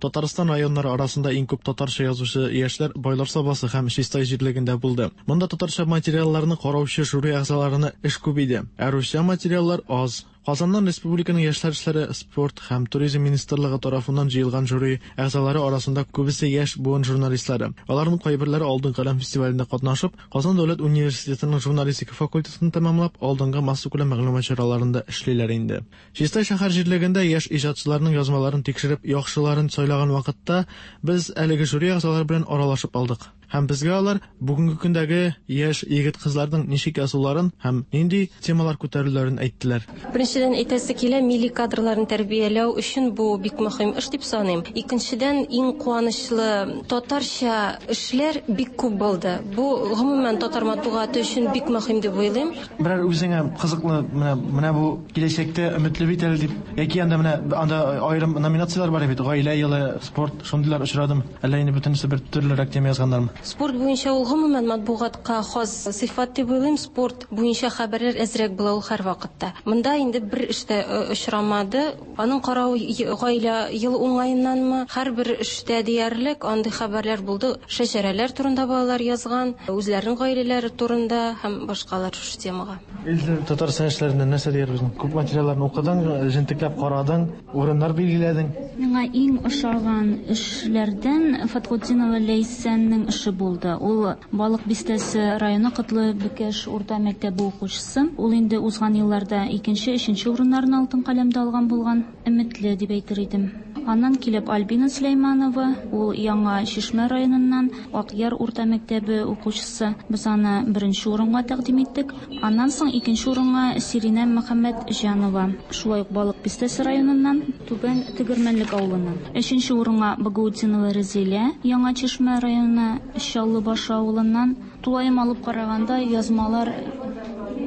Татарстан районнары арасында иң күп татарча язучы яшьләр Байлар Сабасы һәм Чистай җирлегендә булды. Монда татарча материалларны караучы жюри әгъзаларына эш күп иде, ә русча материаллар аз. Казаннан республиканың яшьләр эшләре, спорт һәм туризм министрлыгы тарафыннан җыелган жюри әгъзалары арасында күбесе яшь буын журналистлары. Аларның кайберләре Алтын каләм фестивалендә катнашып, Казан дәүләт университетының журналистика факультетын тәмамлап, алдынгы массакүләм мәгълүмат чараларында эшлиләр инде. Чистай шәһәр җирлегендә яшь иҗатчыларның язмаларын тикшереп, яхшыларын сайлаган вакытта без әлеге жюри әгъзалары белән аралашып алдык. Һәм безгә алар бүгенге көндәге яшь егет-кызларның ничек язуларын һәм нинди темалар күтәрүләрен әйттеләр. Беренчедән, әйтәсе килә, милли кадрларны тәрбияләү өчен бу бик мөһим эш дип саныйм. Икенчедән, иң куанычлы, татарча эшләр бик күп булды. Бу, гомумән, татар матбугаты өчен бик мөһим дип уйлыйм. Берәр үзеңә кызыклы, менә, менә бу киләчәктә өметле бит әле дип, яки анда менә анда аерым номинацияләр бар бит, гаилә елы, спорт, шундыйлар очрадымы? Әллә инде бөтенесе бер төрлерәк тема язганнармы? Спорт буенча ул гомумән матбугатка хас сыйфат дип уйлыйм. Спорт буенча хәбәрләр әзрәк була ул һәрвакытта. Монда инде бер эш тә очрамады. Аның каравы гаилә елы уңаеннанмы, һәрбер эштә диярлек андый хәбәрләр булды. Шәҗәрәләр турында балалар язган, үзләренең гаиләләре турында һәм башкалар шушы темага. Илсөя, Татарстан яшьләреннән нәрсә диярбез? Күп материалларны укыдың, җентекләп карадың. Урыннар билгеләдең. Миңа иң ошаган эшләрдән Фатхутдинова Ләйсәннең эше булды. Ул Балык Бистәсе районы Котлы Бөкәш урта мәктәбе укучысы. Ул инде узган елларда икенче, өченче урыннарны Алтын каләмдә алган булган. Өметле, дип әйтер идем. Аннан килеп Альбина Сөләйманова, ул Яңа Чишмә районыннан, Акъяр урта мәктәбе укучысы. Без аны беренче урынга тәкъдим иттек. Аннан соң икенче урынга Сиринә Мөхәммәтҗанова, шулай ук Балык Бистәсе районыннан, Түбән Тегермәнлек авылыннан. Өченче урынга Багаутдинова Рәзилә, Яңа Чишмә районы, Чаллы Башы авылыннан. Тулаем алып караганда, язмалар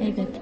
әйбәт.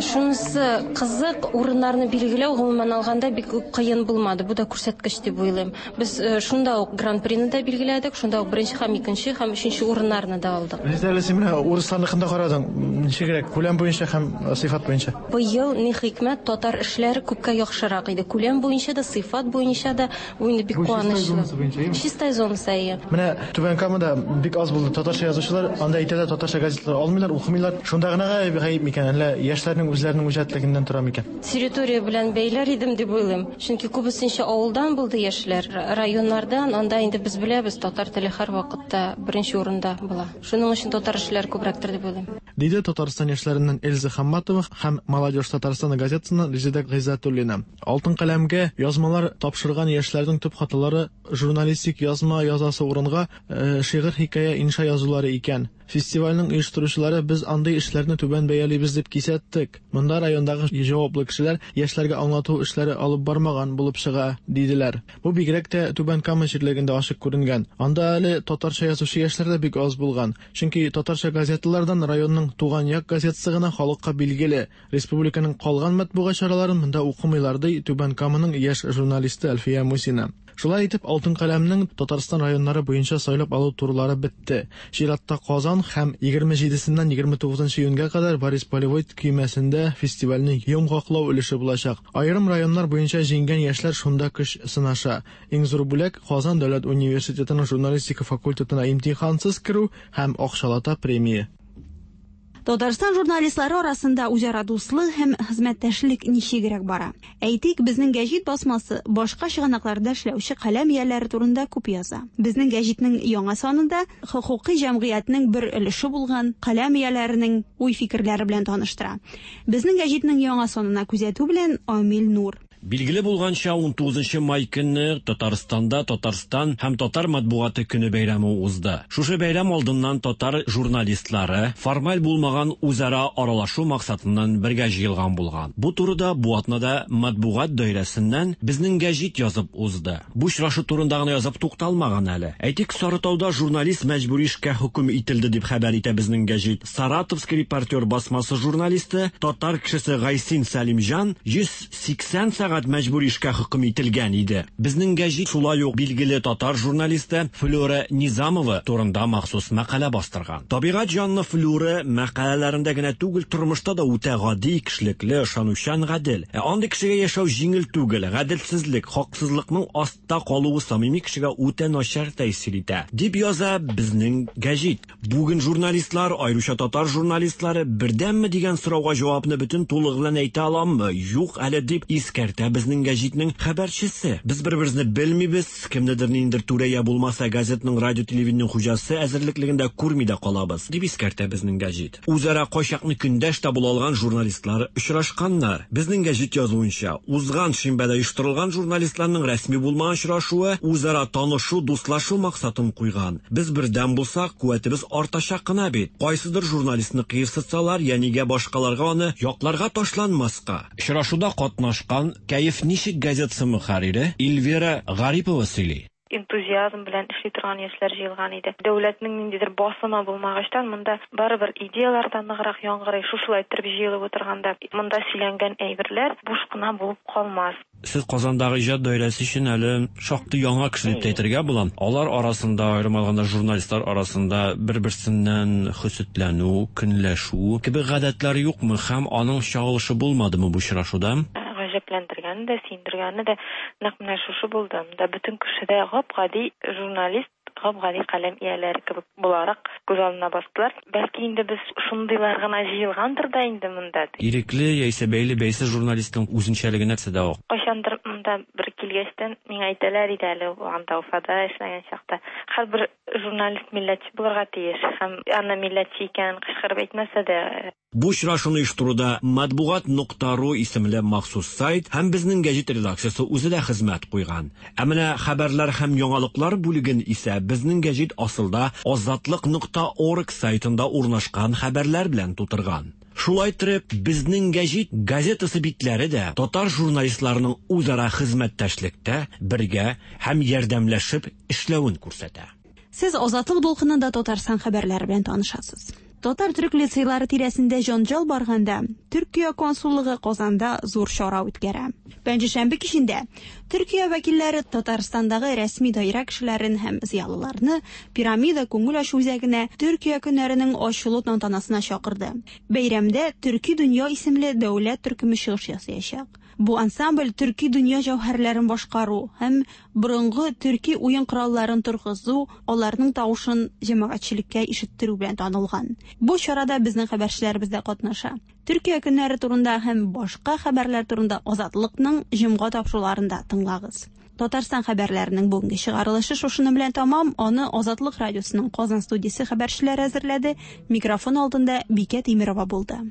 Шунысы кызык, урыннарны билгеләү, гомумән алганда, бик үк кыен булмады. Бу да күрсәткеч дип уйлыйм. Без шунда ук гран-прины да билгеләдек, шунда ук беренче һәм икенче һәм өченче урыннарны да алдык. Резидә, әле син менә урысларныкын да карадың. Ничегрәк, күләм буенча һәм сыйфат буенча? Быел, ни хикмәт, татар эшләре күпкә яхшырак иде. Күләм буенча да, сыйфат буенча да. Бу инде бик Бу Чистай куанычлы. зонасы буенча, әйеме? Чистай зонасы, әйе. Менә Түбән Камада бик аз булды татарча язучылар. Анда әйтәләр, татарча газеталар алмыйлар, укымыйлар. Шунда гына гаеп микән, әллә яшьләрнең үзләренең үҗәтлегеннән тора микән? Территория белән бәйләр идем дип уйлыйм. Чөнки күбесенчә авылдан булды яшьләр, районнардан. Анда инде без беләбез, татар теле һәрвакытта беренче урында була. Шуның өчен татар эшләре күбрәктер дип уйлыйм. Диде Татарстан яшьләреннән Эльза Хамматова һәм Молодежь Татарстана газетасыннан Резеда Гыйззәтуллина. Алтын каләмгә язмалар тапшырган яшьләрнең төп хаталары журналистик язма язасы урынга шигырь, хикәя, инша язулары икән. Фестивальнең оештыручылары без андый эшләрне түбән бәялибез дип кисәттек. Монда райондагы җаваплы кешеләр яшьләргә аңлату эшләре алып бармаган булып чыга, диделәр. Бу бигрәк тә Түбән Кама җирлегендә ачык күренгән. Анда әле татарча язучы яшьләр дә бик аз булган. Чөнки татарча газеталардан районның Туган як газетасы гына халыкка билгеле. Республиканың калган матбугат чараларын монда укымыйлар, ди Түбән Каманың яшь журналисты Әлфия Мусина. Шулай итеп, Алтын каләмнең Татарстан районнары буенча сайлап алу турлары бетте. Чиратта Казан һәм 27-сеннән 29 июньгә кадәр Борис Полевой көймәсендә фестивальнең йомгаклау өлеше булачак. Аерым районнар буенча җиңгән яшьләр шунда көч сынаша. Иң зур бүләк, Казан дәүләт университетының журналистика факультетына имтихансыз керү һәм акчалата премия. Татарстан журналистлары арасында үзара дуслык һәм хезмәттәшлек ничегрәк бара? Әйтик, Безнең гәҗит басмасы башка чыганакларда эшләүче каләм ияләре турында күп яза. Безнең гәҗитнең яңа санында хокукый җәмгыятьнең бер өлеше булган каләм ияләренең уй-фикерләре белән таныштыра. Безнең гәҗитнең яңа санына күзәтү белән Амил Нур. Билгеле булганча, 19 май көнне Татарстанда Татарстан һәм татар матбугаты көне бәйрәме узды. Шушы бәйрәм алдыннан татар журналистлары формаль булмаган үзара аралашу максатыннан бергә җыелган булган. Бу турыда бу атнада матбугат даирәсеннән Безнең гәҗит язып узды. Бу очрашу турында гына язып тукталмаган әле. Әйтик, Сарытауда журналист мәҗбүри эшкә хөкем ителде дип хәбәр итә Безнең гәҗит. Саратовский репортер басмасы журналисты, татар кешесе Гайсин Сәлимҗан 180 сәгать мәҗбүри эшкә хөкем ителгән иде. Безнең гәҗит шулай ук билгеле татар журналисты Флюра Низамова турында махсус мәкалә бастырган. Табигать җанлы Флюра мәкаләләрендә генә түгел, тормышта да үтә гади, кешелекле, ышанучан, гадел. Ә андый кешегә яшәү җиңел түгел, гаделсезлек, хаксызлыкның астта калуы самими кешегә үтә начар тәэсир итә, дип яза Безнең гәҗит. Бүген журналистлар, аеруча татар журналистлары, бердәмме дигән сорауга җавапны бөтен тулылыгы белән әйтә аламмы? Юк әле, дип искәртә Безнең гәҗитнең хәбәрчесе. Без бер-беребезне белмибез, кемнедер ниндидер түрә я булмаса газетның, радио-телевидениенең хуҗасы әзерлеклеген дә күрми дә калабыз, дип искәртә Безнең гәҗит. Үзара кайчакны көндәш тә була алган журналистлар очрашканнар. Безнең гәҗит язуынча, узган шимбәдә оештырылган журналистларның рәсми булмаган очрашуы үзара танышу, дуслашу максатын куйган. Без бердәм булсак, куәтебез артачак кына бит. Кайсыдыр журналистны кыерсытсалар, я нигә башкаларга аны якларга ташланмаска? Очрашуда катнашкан Кәеф ничек газетасы мөхәррире Эльвира Гарипова сөйли. Энтузиазм белән эшли торган яшьләр җыелган иде. Дәүләтнең ниндидер басымы булмагачтан, монда барыбер идеяләр дә ныграк яңгырый. Шушылай иттереп җыелып утырганда, монда сөйләнгән әйберләр буш кына булып калмас. Сез Казандагы иҗат даирәсе өчен әле шактый яңа кеше дип тә әйтергә була. Алар арасында, аерым алганда журналистлар арасында бер-берсеннән хөсетләнү, көнләшү кебек гадәтләр юкмы һәм аның чагылышы булмадымы бу очрашуда? Гаҗәпләндергәне дә, сөендергәне дә нәкъ менә шушы булды. Монда бөтен кеше дә гап-гади журналист, гап-гади каләм ияләре кебек буларак күз алдына бастылар. Бәлки инде без шундыйлар гына җыелгандыр да инде монда. Ирекле яисә бәйле-бәйсез журналистның үзенчәлеге нәрсәдә ул? Кайчандыр монда бер килгәчтен миңа әйтәләр иде әле, анда Уфада эшләгән чакта, һәрбер журналист милләтче булырга тиеш һәм аны милләтче икәнен кычкырып әйтмәсә дә, Бу очрашуны оештыруда Матбугат нокта ру исемле махсус сайт һәм Безнең гәҗит редакциясе үзе дә хезмәт куйган. Ә менә хәбәрләр һәм яңалыклар бүлеген исә Безнең гәҗит асылда Азатлык нокта орг сайтында урнашкан хәбәрләр белән тутырган. Шулай иттереп, Безнең гәҗит газетасы битләре дә татар журналистларының үзара хезмәттәшлектә, бергә һәм ярдәмләшеп эшләвен күрсәтә. Сез Азатлык дулкынында Татарстан хәбәрләре белән танышасыз. Татар-төрек лицейлары тирәсендә җанҗал барганда, Төркия консуллыгы Казанда зур чара үткәрә. Пәнҗешәмбе кичендә Төркия вәкилләре Татарстандагы рәсми даирә кешеләрен һәм зыялыларны Пирамида күңел ачу үзәгенә Төркия көннәренең ачылу тантанасына чакырды. Бәйрәмдә Төрки дөнья исемле дәүләт төркеме чыгыш ясаячак. Бу ансамбль төрки дөнья җәүһәрләрен башкару һәм борынгы төрки уен коралларын торгызу, аларның тавышын җәмәгатьчелеккә ишеттерү белән танылган. Бу чарада безнең хәбәрчеләребез дә катнаша. Төркия көннәре турында һәм башка хәбәрләр турында Азатлыкның җомга тапшыруларында тыңлагыз. Татарстан хәбәрләренең бүгенге чыгарылышы шушының белән тәмам. Аны Азатлык радиосының Казан студиясе хәбәрчеләре әзерләде. Микрофон алдында Бикә Тимирова булды.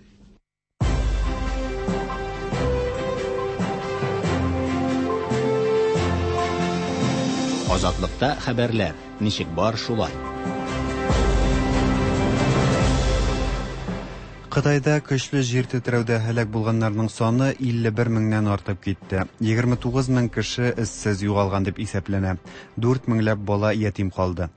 Азатлыкта хәбәрләр ничек бар шулай. Кытайда көчле җир тетрәүдә һәлак булганнарның саны 51 меңнән артып китте. 29 мең кеше эзсез югалган дип исәпләнә. 4 меңләп бала ятим калды.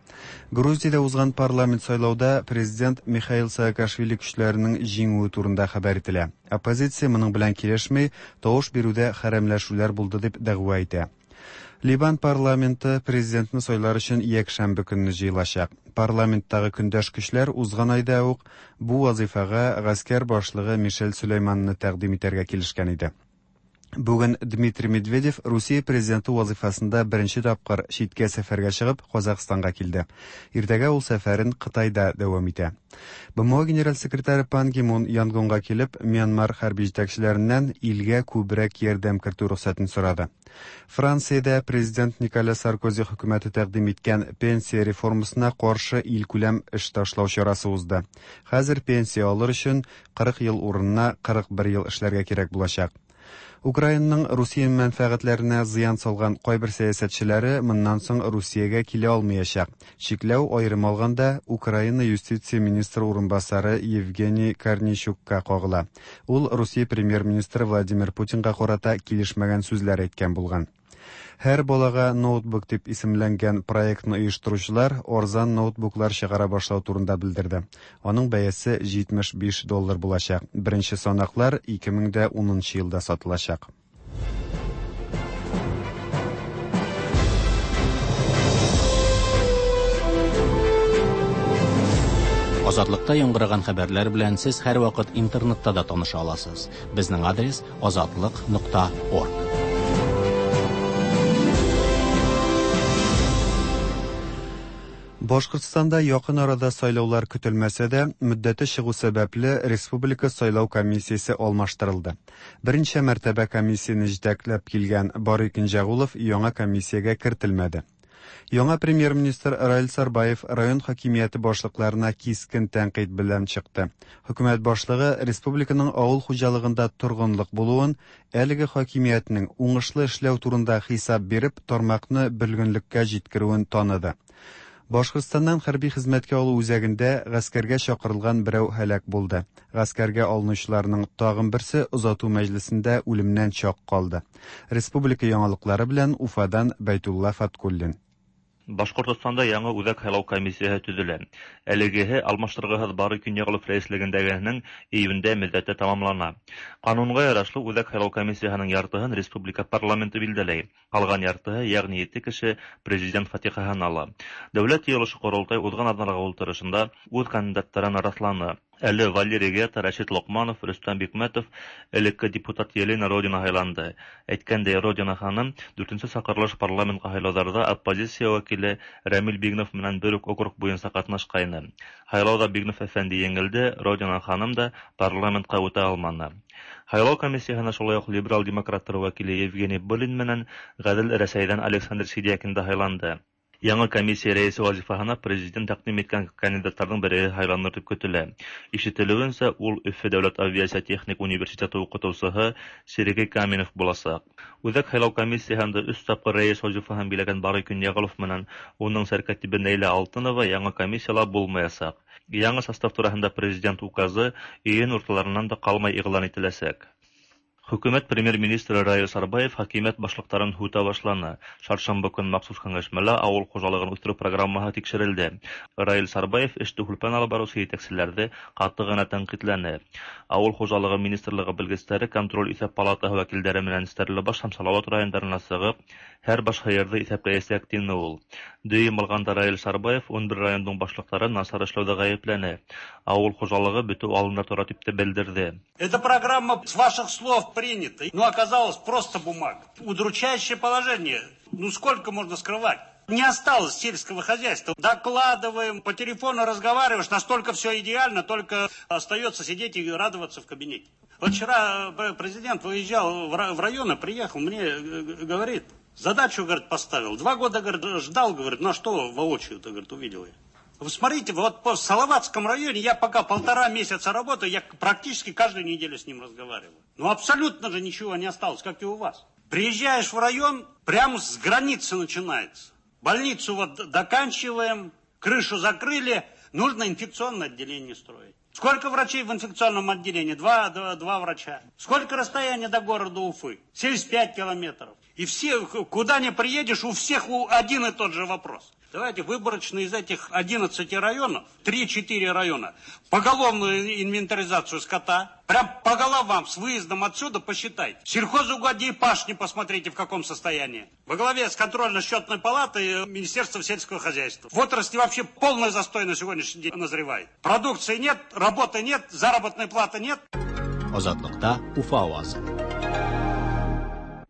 Грузиядә узган парламент сайлауда президент Михаил Саакашвили көчләренең җиңүе турында хәбәр ителә. Оппозиция моның белән килешми, тавыш бирүдә хәрәмләшүләр булды дип дәгъва итә. Ливан парламенты президентны сайлар өчен якшәмбе көнне җыелачак. Парламенттагы көндәш көчләр узган айда ук бу вазыйфага гаскәр башлыгы Мишель Сөләйманны тәкъдим итәргә килешкән иде. Бүген Дмитрий Медведев Русия президенты вазыйфасында беренче тапкыр читкә сәфәргә чыгып, Казахстанга килде. Иртәгә ул сәфәрен Кытайда дәвам итә. БМО генераль секретаре Пан Ги Мун Янгонга килеп, Мьянмар хәрби җитәкчеләреннән илгә күбрәк ярдәм кертү рөхсәтен сорады. Франциядә президент Николя Саркози хөкүмәте тәкъдим иткән пенсия реформасына каршы илкүләм эш ташлау чарасы узды. Хәзер пенсия алыр өчен 40 ел урынына 41 ел эшләргә кирәк булачак. Украинаның Русия мәнфәгатьләренә зыян салган кайбер сәясәтчеләре моннан соң Русиягә килә алмыячак. Чикләү, аерым алганда, Украина юстиция министры урынбасары Евгений Корнейчукка кагыла. Ул Русия премьер-министры Владимир Путинга карата килешмәгән сүзләр әйткән булган. Һәр балага ноутбук дип исемләнгән проектны оештыручылар арзан ноутбуклар чыгара башлау турында белдерде. Аның бәясе 75 доллар булачак. Беренче санаклар 2010 нчы елда сатылачак. Азатлыкта яңгыраган хәбәрләр белән сез һәрвакыт интернетта да таныша аласыз. Безнең адрес азатлык нокта орг. Башкортстанда якын арада сайлаулар көтелмәсә дә, мөддәте чыгу сәбәпле, республика сайлау комиссиясе алмаштырылды. Берничә мәртәбә комиссияне җитәкләп килгән Барый Кенҗәгулов яңа комиссиягә кертелмәде. Яңа премьер-министр Раил Сарбаев район хакимияте башлыкларына кискен тәнкыйть белән чыкты. Хөкүмәт башлыгы республиканың авыл хуҗалыгында торгынлык булуын, әлеге хакимиятнең уңышлы эшләү турында хисап биреп, тармакны бөлгенлеккә җиткерүен таныды. Башкортстаннан хәрби хезмәткә алу үзәгендә гаскәргә чакырылган берәү һәлак булды. Гаскәргә алынучыларның тагын берсе озату мәҗлесендә үлемнән чак калды. Республика яңалыклары белән Уфадан Бәйтулла Фаткуллин. Башкортостанда яңа Үзәк һайлау комиссияһе төзелә. Әлегеһе алмаштыргыһыз Барый Көньяглов рәислегендәгеһенең июньдә мөддәте тәмамлана. Канунга ярашлы, Үзәк һайлау комиссияһенең яртыһын республика парламенты билдәләй. Калган яртыһы, ягъни ете кеше президент фатихаһын ала. Дәүләт Йыелышы-Корылтай узган атналарга утырышында үз кандидаттарын расланы. Әле Валерий Гета, Рәшит Локманов, Рөстәм Бикмәтов, элекке депутат Елена Родина һайланды. Әйткәндәй, Родина ханым дүртенче чакырылыш парламентка һайлаударда оппозиция вәкиле Рәмил Бигнов менән бер үк округ буенча катнашкайны. Һайлауда Бигнов әфәнде еңелде, Родина ханым да парламентка үтә алманы. Һайлау комиссияһенә шулай ук либерал демократлар вәкиле Евгений Былин менән Гадел Рәсәйдән Александр Сидякин да һайланды. Яңа комиссия рәисе вазифаһына президент тәкъдим иткән кандидатларның бере һайланыр дип көтелә. Ишетелүенчә, ул Өфе дәүләт авиация техник университеты укытучыһы Сергей Каменев булачак. Үзәк һайлау комиссияһендә өч тапкыр рәис вазифаһын биләгән Барый Көньяголов менән уның сәркатибе Нәйлә Алтынова яңа комиссияла булмаячак. Яңа состав тураһында президент указы июнь урталарыннан да калмай игълан ителәчәк. Хөкүмәт премьер-министры Раил Сарбаев хакимият башлыктарын һүтә башланы. Чаршамбы көн махсус кәңәшмәлә авыл хуҗалыгын үстерү программаһы тикшерелде. Раил Сарбаев эште һүлпән алып баручы җитәкчеләрде каты гына тәнкыйтьләне. Авыл хуҗалыгы министрлыгы белгечләре контроль-исәп палатаһы вәкилдәре менән Стәрлебаш һәм Салават районнарына чыгып, һәр баш һыерды исәпләячәк, дине ул. Дөем алганда Раил Сарбаев 11 районның башлыкларын начар эшләүдә гаепләне. Авыл хуҗалыгы бетү алдында тора дип тә белдерде. Эта программа с ваших слов принята, но оказалась просто бумага. Удручающее положение. Ну сколько можно скрывать? Не осталось сельского хозяйства. Докладываем, по телефону разговариваешь, настолько все идеально, только остается сидеть и радоваться в кабинете. Вот вчера президент выезжал в районы, приехал, мне говорит, задачу, говорит, поставил. 2 года, говорит, ждал, говорит, на что воочию-то, говорит, увидел я. Вы смотрите, вот по Салаватском районе я пока 1,5 месяца работаю, я практически каждую неделю с ним разговариваю. Ну абсолютно же ничего не осталось, как и у вас. Приезжаешь в район, прямо с границы начинается. Больницу вот доканчиваем, крышу закрыли, нужно инфекционное отделение строить. Сколько врачей в инфекционном отделении? Два врача. Сколько расстояние до города Уфы? 75 километров. И все, куда ни приедешь, у всех один и тот же вопрос. Давайте выборочно из этих 11 районов, 3-4 района, поголовную инвентаризацию скота, прям по головам с выездом отсюда посчитайте. Сельхозугодья и пашни посмотрите, в каком состоянии. Во главе с контрольно-счетной палатой Министерства сельского хозяйства. В отрасли вообще полный застой на сегодняшний день назревает. Продукции нет, работы нет, заработной платы нет. Азатлыкта Уфа авазы.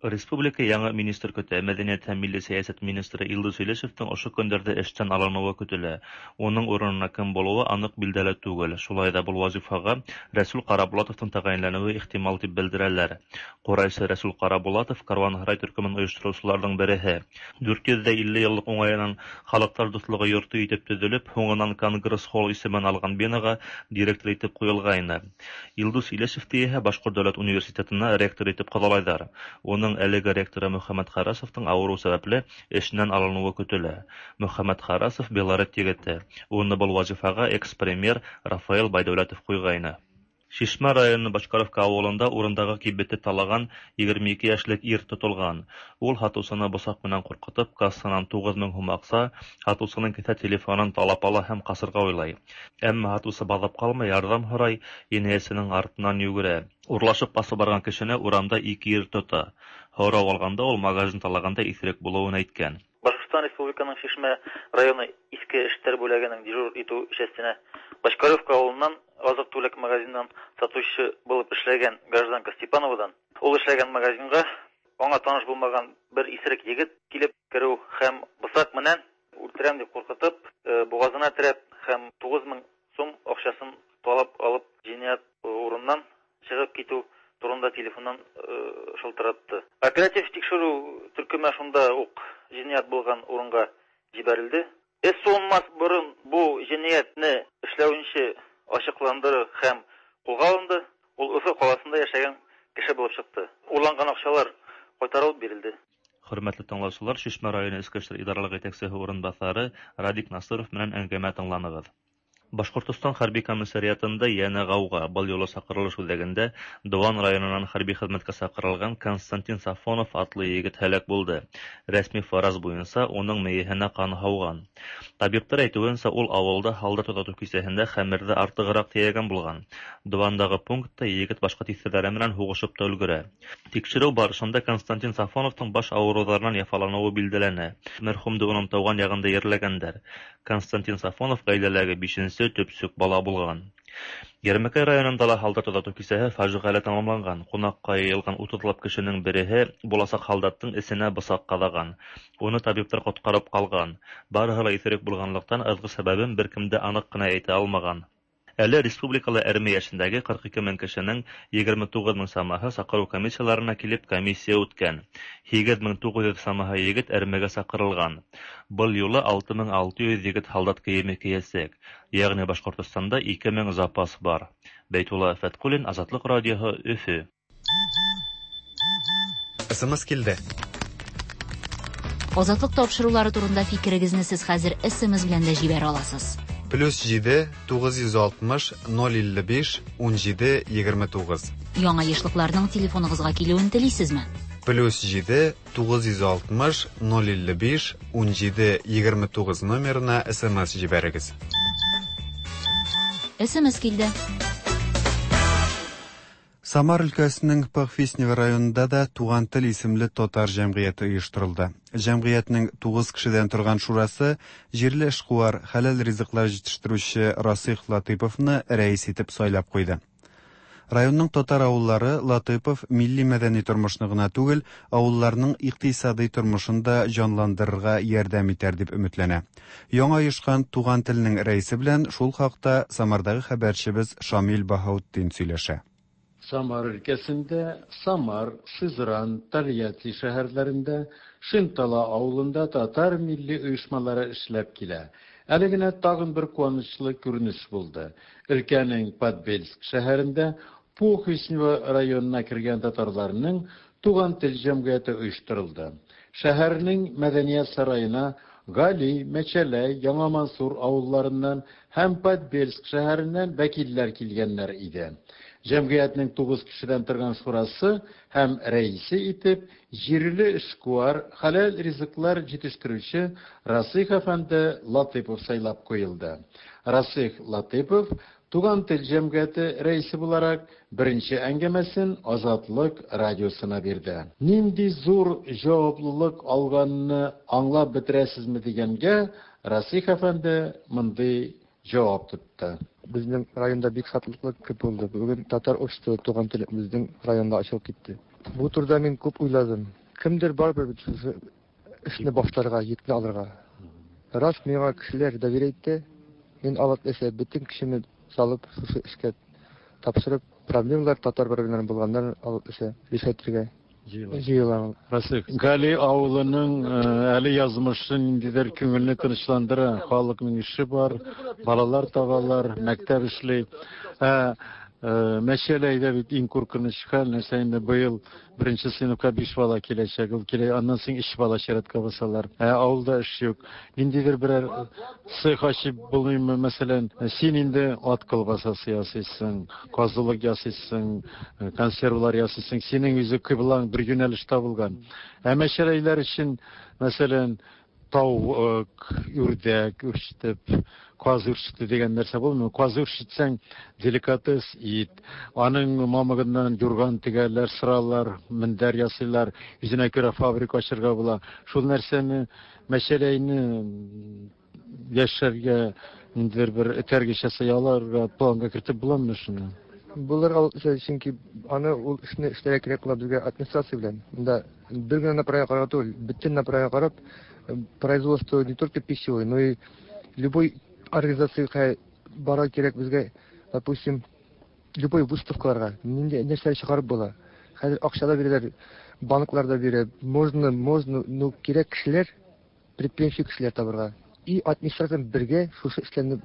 Республика яңа министр көтә. Мәдәният һәм милли сәясәт министры Илдус Илешевның ошо көндәрдә эштән алынуы көтелә. Уның урынына кем булуы анык билдәле түгел. Шулай да был вазифаға Рәсүл Карабулатовтың тәғәйенләнеүе ихтимал дип белдерәләр. Ҡурайсы Рәсүл Карабулатов Каруанһарай төркөмөн ойоштороусыларҙың береһе. 450 йыллыҡ уңайынан Халыҡтар дуҫлығы йорто итеп төҙөлөп, һуңынан Конгресс-холл исемен алған бинаға директор итеп ҡуйылғайны. Илдус Илешевте иһә Башҡорт дәүләт университетына ректор итеп ҡаҙалайҙар. Уның әлеге ректоры Мөхәммәт Харасовтың ауырыу сәбәпле эшенән алыныуы көтөлә. Мөхәммәт Харасов Белорет егете. Уны был вазифаға экс-премьер Рафаэл Байдәүләтов ҡуйғайны. Шишмә районы Бочкаревка ауылында урындағы кибетте талаған 22 йәшлек ир тотолған. Ул һатыусыны бысаҡ менән ҡурҡытып, кассанан 9000 һум аҡса, һатыусының кеҫә телефонын талап ала һәм ҡасырға уйлай. Әммә һатыусы баҙап ҡалмай, ярҙам һорай, енәйәтсенең артынан йүгерә. Урлашып ҡасып барған кешене урамда ике ир тота. Һорау алғанда ул магазин талағанда иҫерек булыуын әйткән. Башҡортостан Республиканың Шишмә районы Иҫке эштәр бүләгенең дежур итү частенә Бочкаревка авылынан азык-түлек магазинынан сатучы булып эшләгән гражданка Степановадан ул эшләгән магазинга аңа таныш булмаган бер исерек егет килеп керү һәм бысак менән үлтерәм дип куркытып, бугазына терәп һәм 9000 сум акчасын талап алып җинаять урыныннан чыгып китү турында телефоннан шылтыратты. Оператив тикшерү төркеме шунда ук җинаять булган урынга җибәрелде. Эз суынмас борын бу җинаятьне эшләүче ачыкланды һәм кулга алынды. Ул Өфе каласында яшәгән кеше булып чыкты. Урланган акчалар кайтарылып бирелде. Хөрмәтле тыңлаучылар, Шишмә районы Эчке эшләр идаралыгы җитәкчесе урынбасары Радик Насыров менән әңгәмә тыңланыгыз. Башҡортостан хәрби комиссариатында йәнә ғауға. Был юлы саҡырылыш үҙәгендә Дыуан районынан хәрби хеҙмәткә саҡырылған Константин Сафонов атлы егет һәләк булды. Рәсми фараз буйынса, уның мейеһенә ҡан һауған. Табиптар әйтеүенсә, ул ауылда һалдат оҙатыу кисәһендә хәмерҙе артығыраҡ тейәгән булған. Дыуандағы пунктта егет башҡа тиҫтерҙәре менән һуғышып та өлгөрә. Тикшереү барышында Константин Сафоновтың баш ауырыуҙарынан яфаланыуы билдәләнә. Мәрхүмде уның тыуған яғында ерләгәндәр. Константин Сафонов ғаиләләге 5-нсе төпсөк бала булған. Йәрмәкәй районында ла һалдат оҙатыу кисәһе фажиғәле тамамланған. Ҡунаҡҡа йыйылған 30лап кешенең береһе буласаҡ һалдаттың эсенә бысаҡ ҡаҙаған. Уны табиптар ҡотҡарып ҡалған. Барыһы ла иҫерек булғанлыҡтан ыҙғы сәбәбен бер кем дә аныҡ ҡына әйтә алмаған. Әле республикала әрме йәшендәге 42 мең кешенең 29 мең самаһы саҡырыу комиссияларына килеп комиссия үткән. 8900 самаһы егет әрмегә саҡырылған. Был юлы 6600 егет һалдат кейеме кейәсәк. Йәғни Башҡортостанда 2000 запас бар. Бәйтулла Фәтҡуллин, Азатлыҡ радиоһы, Өфө. СМС килде. Азатлык тапшырулары турында фикерегезне сез хәзер СМС белән дә җибәрә аласыз. Плюс 7 960 055 17 29. Яңа ешлыкларның телефоныгызга килүен телисезме? Плюс 7 960 055 17 29 номерына СМС җибәрегез. СМС килде. Самар өлкәсенең Похвистнево районында да Туган тел исемле татар җәмгыяте оештырылды. Җәмгыятьнең 9 кешедән торган шурасы җирле эшкуар, хәләл ризыклар җитештерүче Расих Латыповны рәис итеп сайлап куйды. Районның татар авыллары Латыпов милли мәдәни тормышны гына түгел, авылларның икътисади тормышын да җанландырырга ярдәм итәр дип өметләнә. Яңа оешкан Туган телнең рәисе белән шул хакта Самардагы хәбәрчебез Шамил Баһаутдин сөйләшә. Самар өлкәсендә, Самар, Сызран, Тольятти шәһәрләрендә, Шинтала авылында татар милли оешмалары эшләп килә. Әле генә тагын бер куанычлы күренеш булды. Өлкәнең Подбельск шәһәрендә Похвистнево районына кергән татарларның Туган тел җәмгыяте оештырылды. Шәһәрнең мәдәният сараена Гали, Мәчәләй, Яңа Мансур авылларыннан һәм Подбельск шәһәреннән вәкилләр килгәннәр иде. Җәмгыятьнең 9 кешедән торган шурасы һәм рәисе итеп җирле эшкуар, хәләл ризыклар җитештерүче Расих әфәнде Латыпов сайлап куелды. Расих Латыпов Туган тел җәмгыяте рәисе буларак беренче әңгәмәсен Азатлык радиосына бирде. Нинди зур җаваплылык алганны аңлап бетерәсезме дигәнгә Расих әфәнде мондый җавап тотты. Безнең районда бик шатлыклы көн булды. Бүген татар обществосы Туган тел безнең районда ачылып китте. Бу турыда мин күп уйладым. Кемдер барыбер бит шушы эшне башларга, йөкне алырга. Рас, миңа кешеләр доверие итте. Мин Алла теләсә, бөтен көчемне салып, шушы эшкә тапшырып, проблемалар, татар проблемаларын булганнарын Алла теләсә, решать итәргә җыелам. Расих, Гали авылының әле язмышы ниндидер күңелне тынычландыра. Халыкның эше бар, балалар табалар, мәктәп эшли. Ә Мәчәләйдә бит иң куркыныч хәл, нәрсә инде быел беренче сыйныфка биш бала киләчәк, ул килә, аннан соң өч бала чиратка басалар. Ә авылда эш юк. Ниндидер берәр цех ачып булмыймы, мәсәлән, син инде ат колбасасы ясыйсың, казылык ясыйсың, консервлар ясыйсың, синең үзе кыйблаң бер юнәлештә булган. Ә мәчәләйләр өчен, мәсәлән, тавык, үрдәк үрчетеп, каз үрчетү дигән нәрсә булмый. Каз үрчетсәң, деликатес ит. Аның мамыгыннан юрган тегәләр, сыралар, мендәр ясыйлар. Үзенә күрә фабрика ачырга була. Шул нәрсәне, мәчәләйне яшәргә ниндидер бер этәргеч ясый аларга, планга кертеп буламы шуны? Булыр ул, чөнки аны ул эшне эшләргә кирәк була безгә администрация белән. Монда бер генә направление карарга түгел, бөтен направление карап, производство не только пищевой, но и любой организациягә барырга кирәк безгә, допустим, любой выставкаларга, нинди нәрсәләр чыгарып була. Хәзер акча да бирәләр, банклар да бирә. Можно, можно, но кирәк кешеләр, предприимчивый кешеләр табырга. И администрация белән бергә шушы эшләрне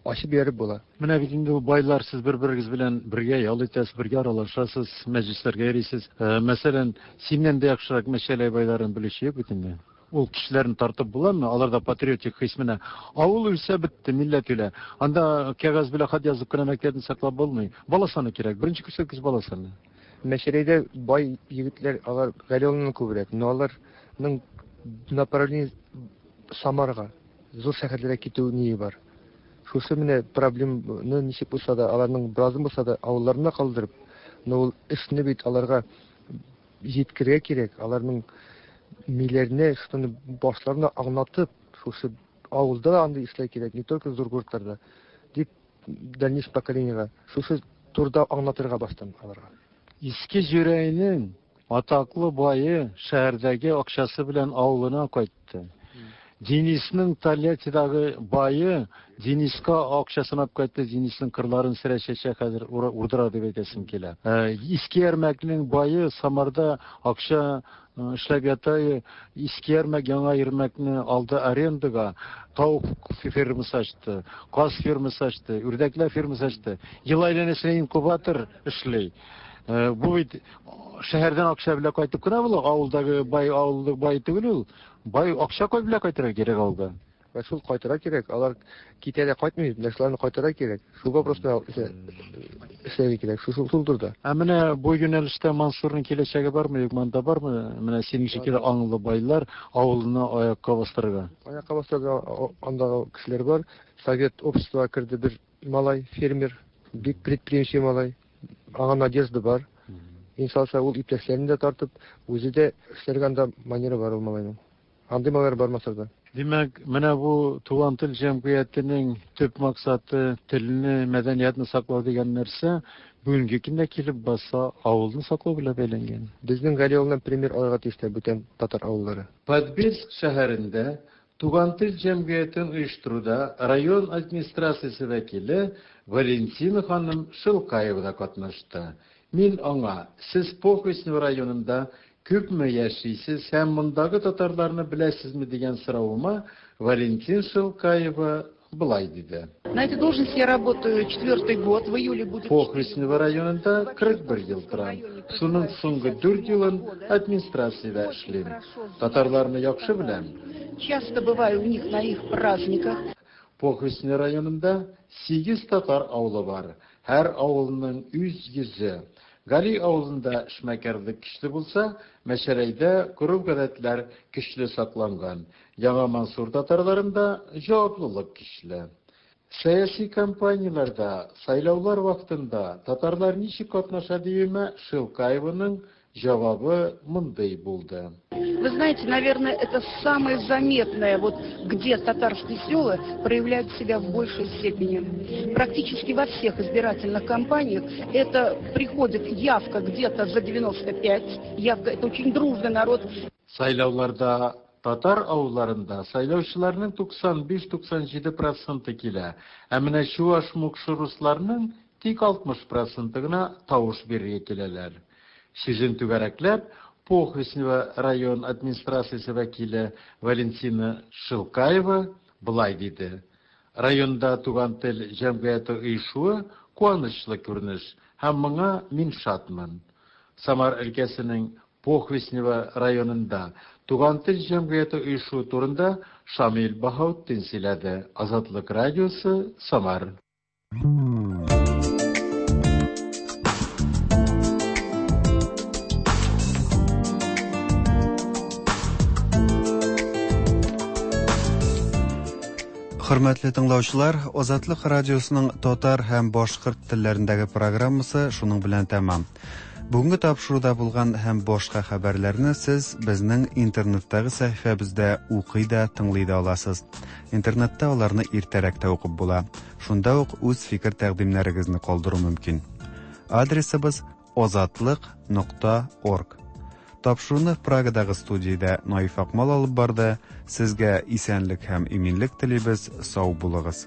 ачып җибәреп була. Менә бит инде байлар, сез бер-берегез белән бергә ял итәсез, бергә аралашасыз, мәҗлесләргә йөрисез. Мәсәлән, синнән дә яхшырак Мәчәләй байларын белүче юк бит инде. Ул кешеләрне тартып буламы? Аларда патриотик хис менә. Авыл үлсә бетте, милләт үлә. Анда кәгазь белән хат язып кына мәктәпне саклап булмый. Бала саны кирәк. Беренче күрсәткеч бала саны. Мәчәләйдә бай егетләр, алар Галиуллиннан күбрәк, но аларның направление Самарга, зур шәһәрләргә китү ние бар. Шушы менә проблемны ничек булса да, аларның беразын булса да авылларында калдырып, но ул эшне бит аларга җиткерергә кирәк, аларның миләренә, шуны башларына аңлатып, шушы авылда да андый эшләр кирәк, не только зур городларда, дип дальнейшее поколениега шушы турыда аңлатырга баштан аларга. Иске Җүрәйнең атаклы бае шәһәрдәге акчасы белән авылына кайтты. Денисның Тольяттидагы бае Дениска акчасын алып кайтты, Денисның кырларын сөрә чәчә хәзер урдыра дип әйтәсем килә. Иске Ярмәкнең бае Самарда акча эшләп ята, Иске Ярмәк Яңа Ярмәкне алды арендага, тавык фермасы ачты, каз фермасы ачты, үрдәкләр фермасы ачты. Ел әйләнәсенә инкубатор эшли. Бу бит шәһәрдән акча белән кайтып кына була, авылдагы бай авылдагы бай түгел ул. Бай акча кой белән кайтырга кирәк авылга. Вә шул кайтырга кирәк, алар китә дә кайтмый, менә шуларны кайтырга кирәк. Шул вопросны эшләргә кирәк, шул шул турыда. Ә менә бу юнәлештә Мансурның киләчәге бармы, юкмы, анда бармы? Менә синең шикелле аңлы байлар авылны аякка бастырырга. Аякка бастырырга андагы кешеләр бар. Совет обществога керде бер малай, фермер, бик предприимчивый малай. Аңа надежда бар. Иншалла, ул иптәшләрен дә тартып, үзе дә эшләргә анда манера бар ул малайның. Андый малайлар бар Масарда. Димәк, менә бу Туган тел җәмгыятенең төп максаты телне, мәдәниятне саклау дигән нәрсә бүгенге көндә килеп баса авылны саклау белән бәйләнгән. Безнең Гали авылыннан пример алырга тиешләр бүтән татар авыллары. Подбельск шәһәрендә Туган тел җәмгыятен оештыруда район администрациясе вәкиле Валентина ханым Шелкаева да катнашты. Мин аңа, Сез Похвистнево районында күпме яшисез һәм мондагы татарларны беләсезме дигән соравыма Валентин Шелкаева болай диде. На этой должности я работаю четвертый год, в июле будет... Похвистнево районында 41 ел торам. Шуның соңгы дүрт елын администрациядә эшлим. Татарларны яхшы беләм. Часто бываю у них на их праздниках. Похвистнево районында сигез татар авылы бар. Һәр авылның үз йөзе. Гали авылында эшмәкәрлек көчле булса, Мәчәләйдә гореф-гадәтләр көчле сакланган. Яңа Мансур татарларында җаваплылык көчле. Сәяси кампанияләрдә, сайлаулар вакытында татарлар ничек катнаша диюемә Шелкаеваның Җавабы мондый булды. Вы знаете, наверное, это самое заметное, вот где татарские села проявляют себя в большей степени. Практически во всех избирательных кампаниях это приходит явка где-то за 95, явка, это очень дружный народ. Сайлауларда татар авылларында сайлаучыларның 95-97 проценты килә, ә менә чуаш, мукшы, русларның тик 60 проценты гына тавыш бирергә киләләр. Сүзен түгәрәкләп, Похвистнево район администрациясе вәкиле Валентина Шилкаева болай диде: Районда Туган тел җәмгыяте оешуы куанычлы күренеш һәм моңа мин шатмын. Самар өлкәсенең Похвистнево районында Туган тел җәмгыяте оешуы турында Шамил Баһаутдин сөйләде. Азатлык радиосы, Самар. Хөрмәтле тыңлаучылар, Азатлык радиосының татар һәм башкорт телләрендәге программасы шуның белән тәмам. Бүгенге тапшыруда булган һәм башка хәбәрләрне сез безнең интернеттагы сәхифәбездә укый да, тыңлый да аласыз. Интернетта аларны иртәрәк тә укып була. Шунда ук үз фикер-тәкъдимнәрегезне калдыру мөмкин. Адресыбыз озатлык нокта орг. Тапшыруны Прагадагы студиядә Наиф Акмал алып барды. Сезгә исәнлек һәм иминлек телибез. Сау булыгыз.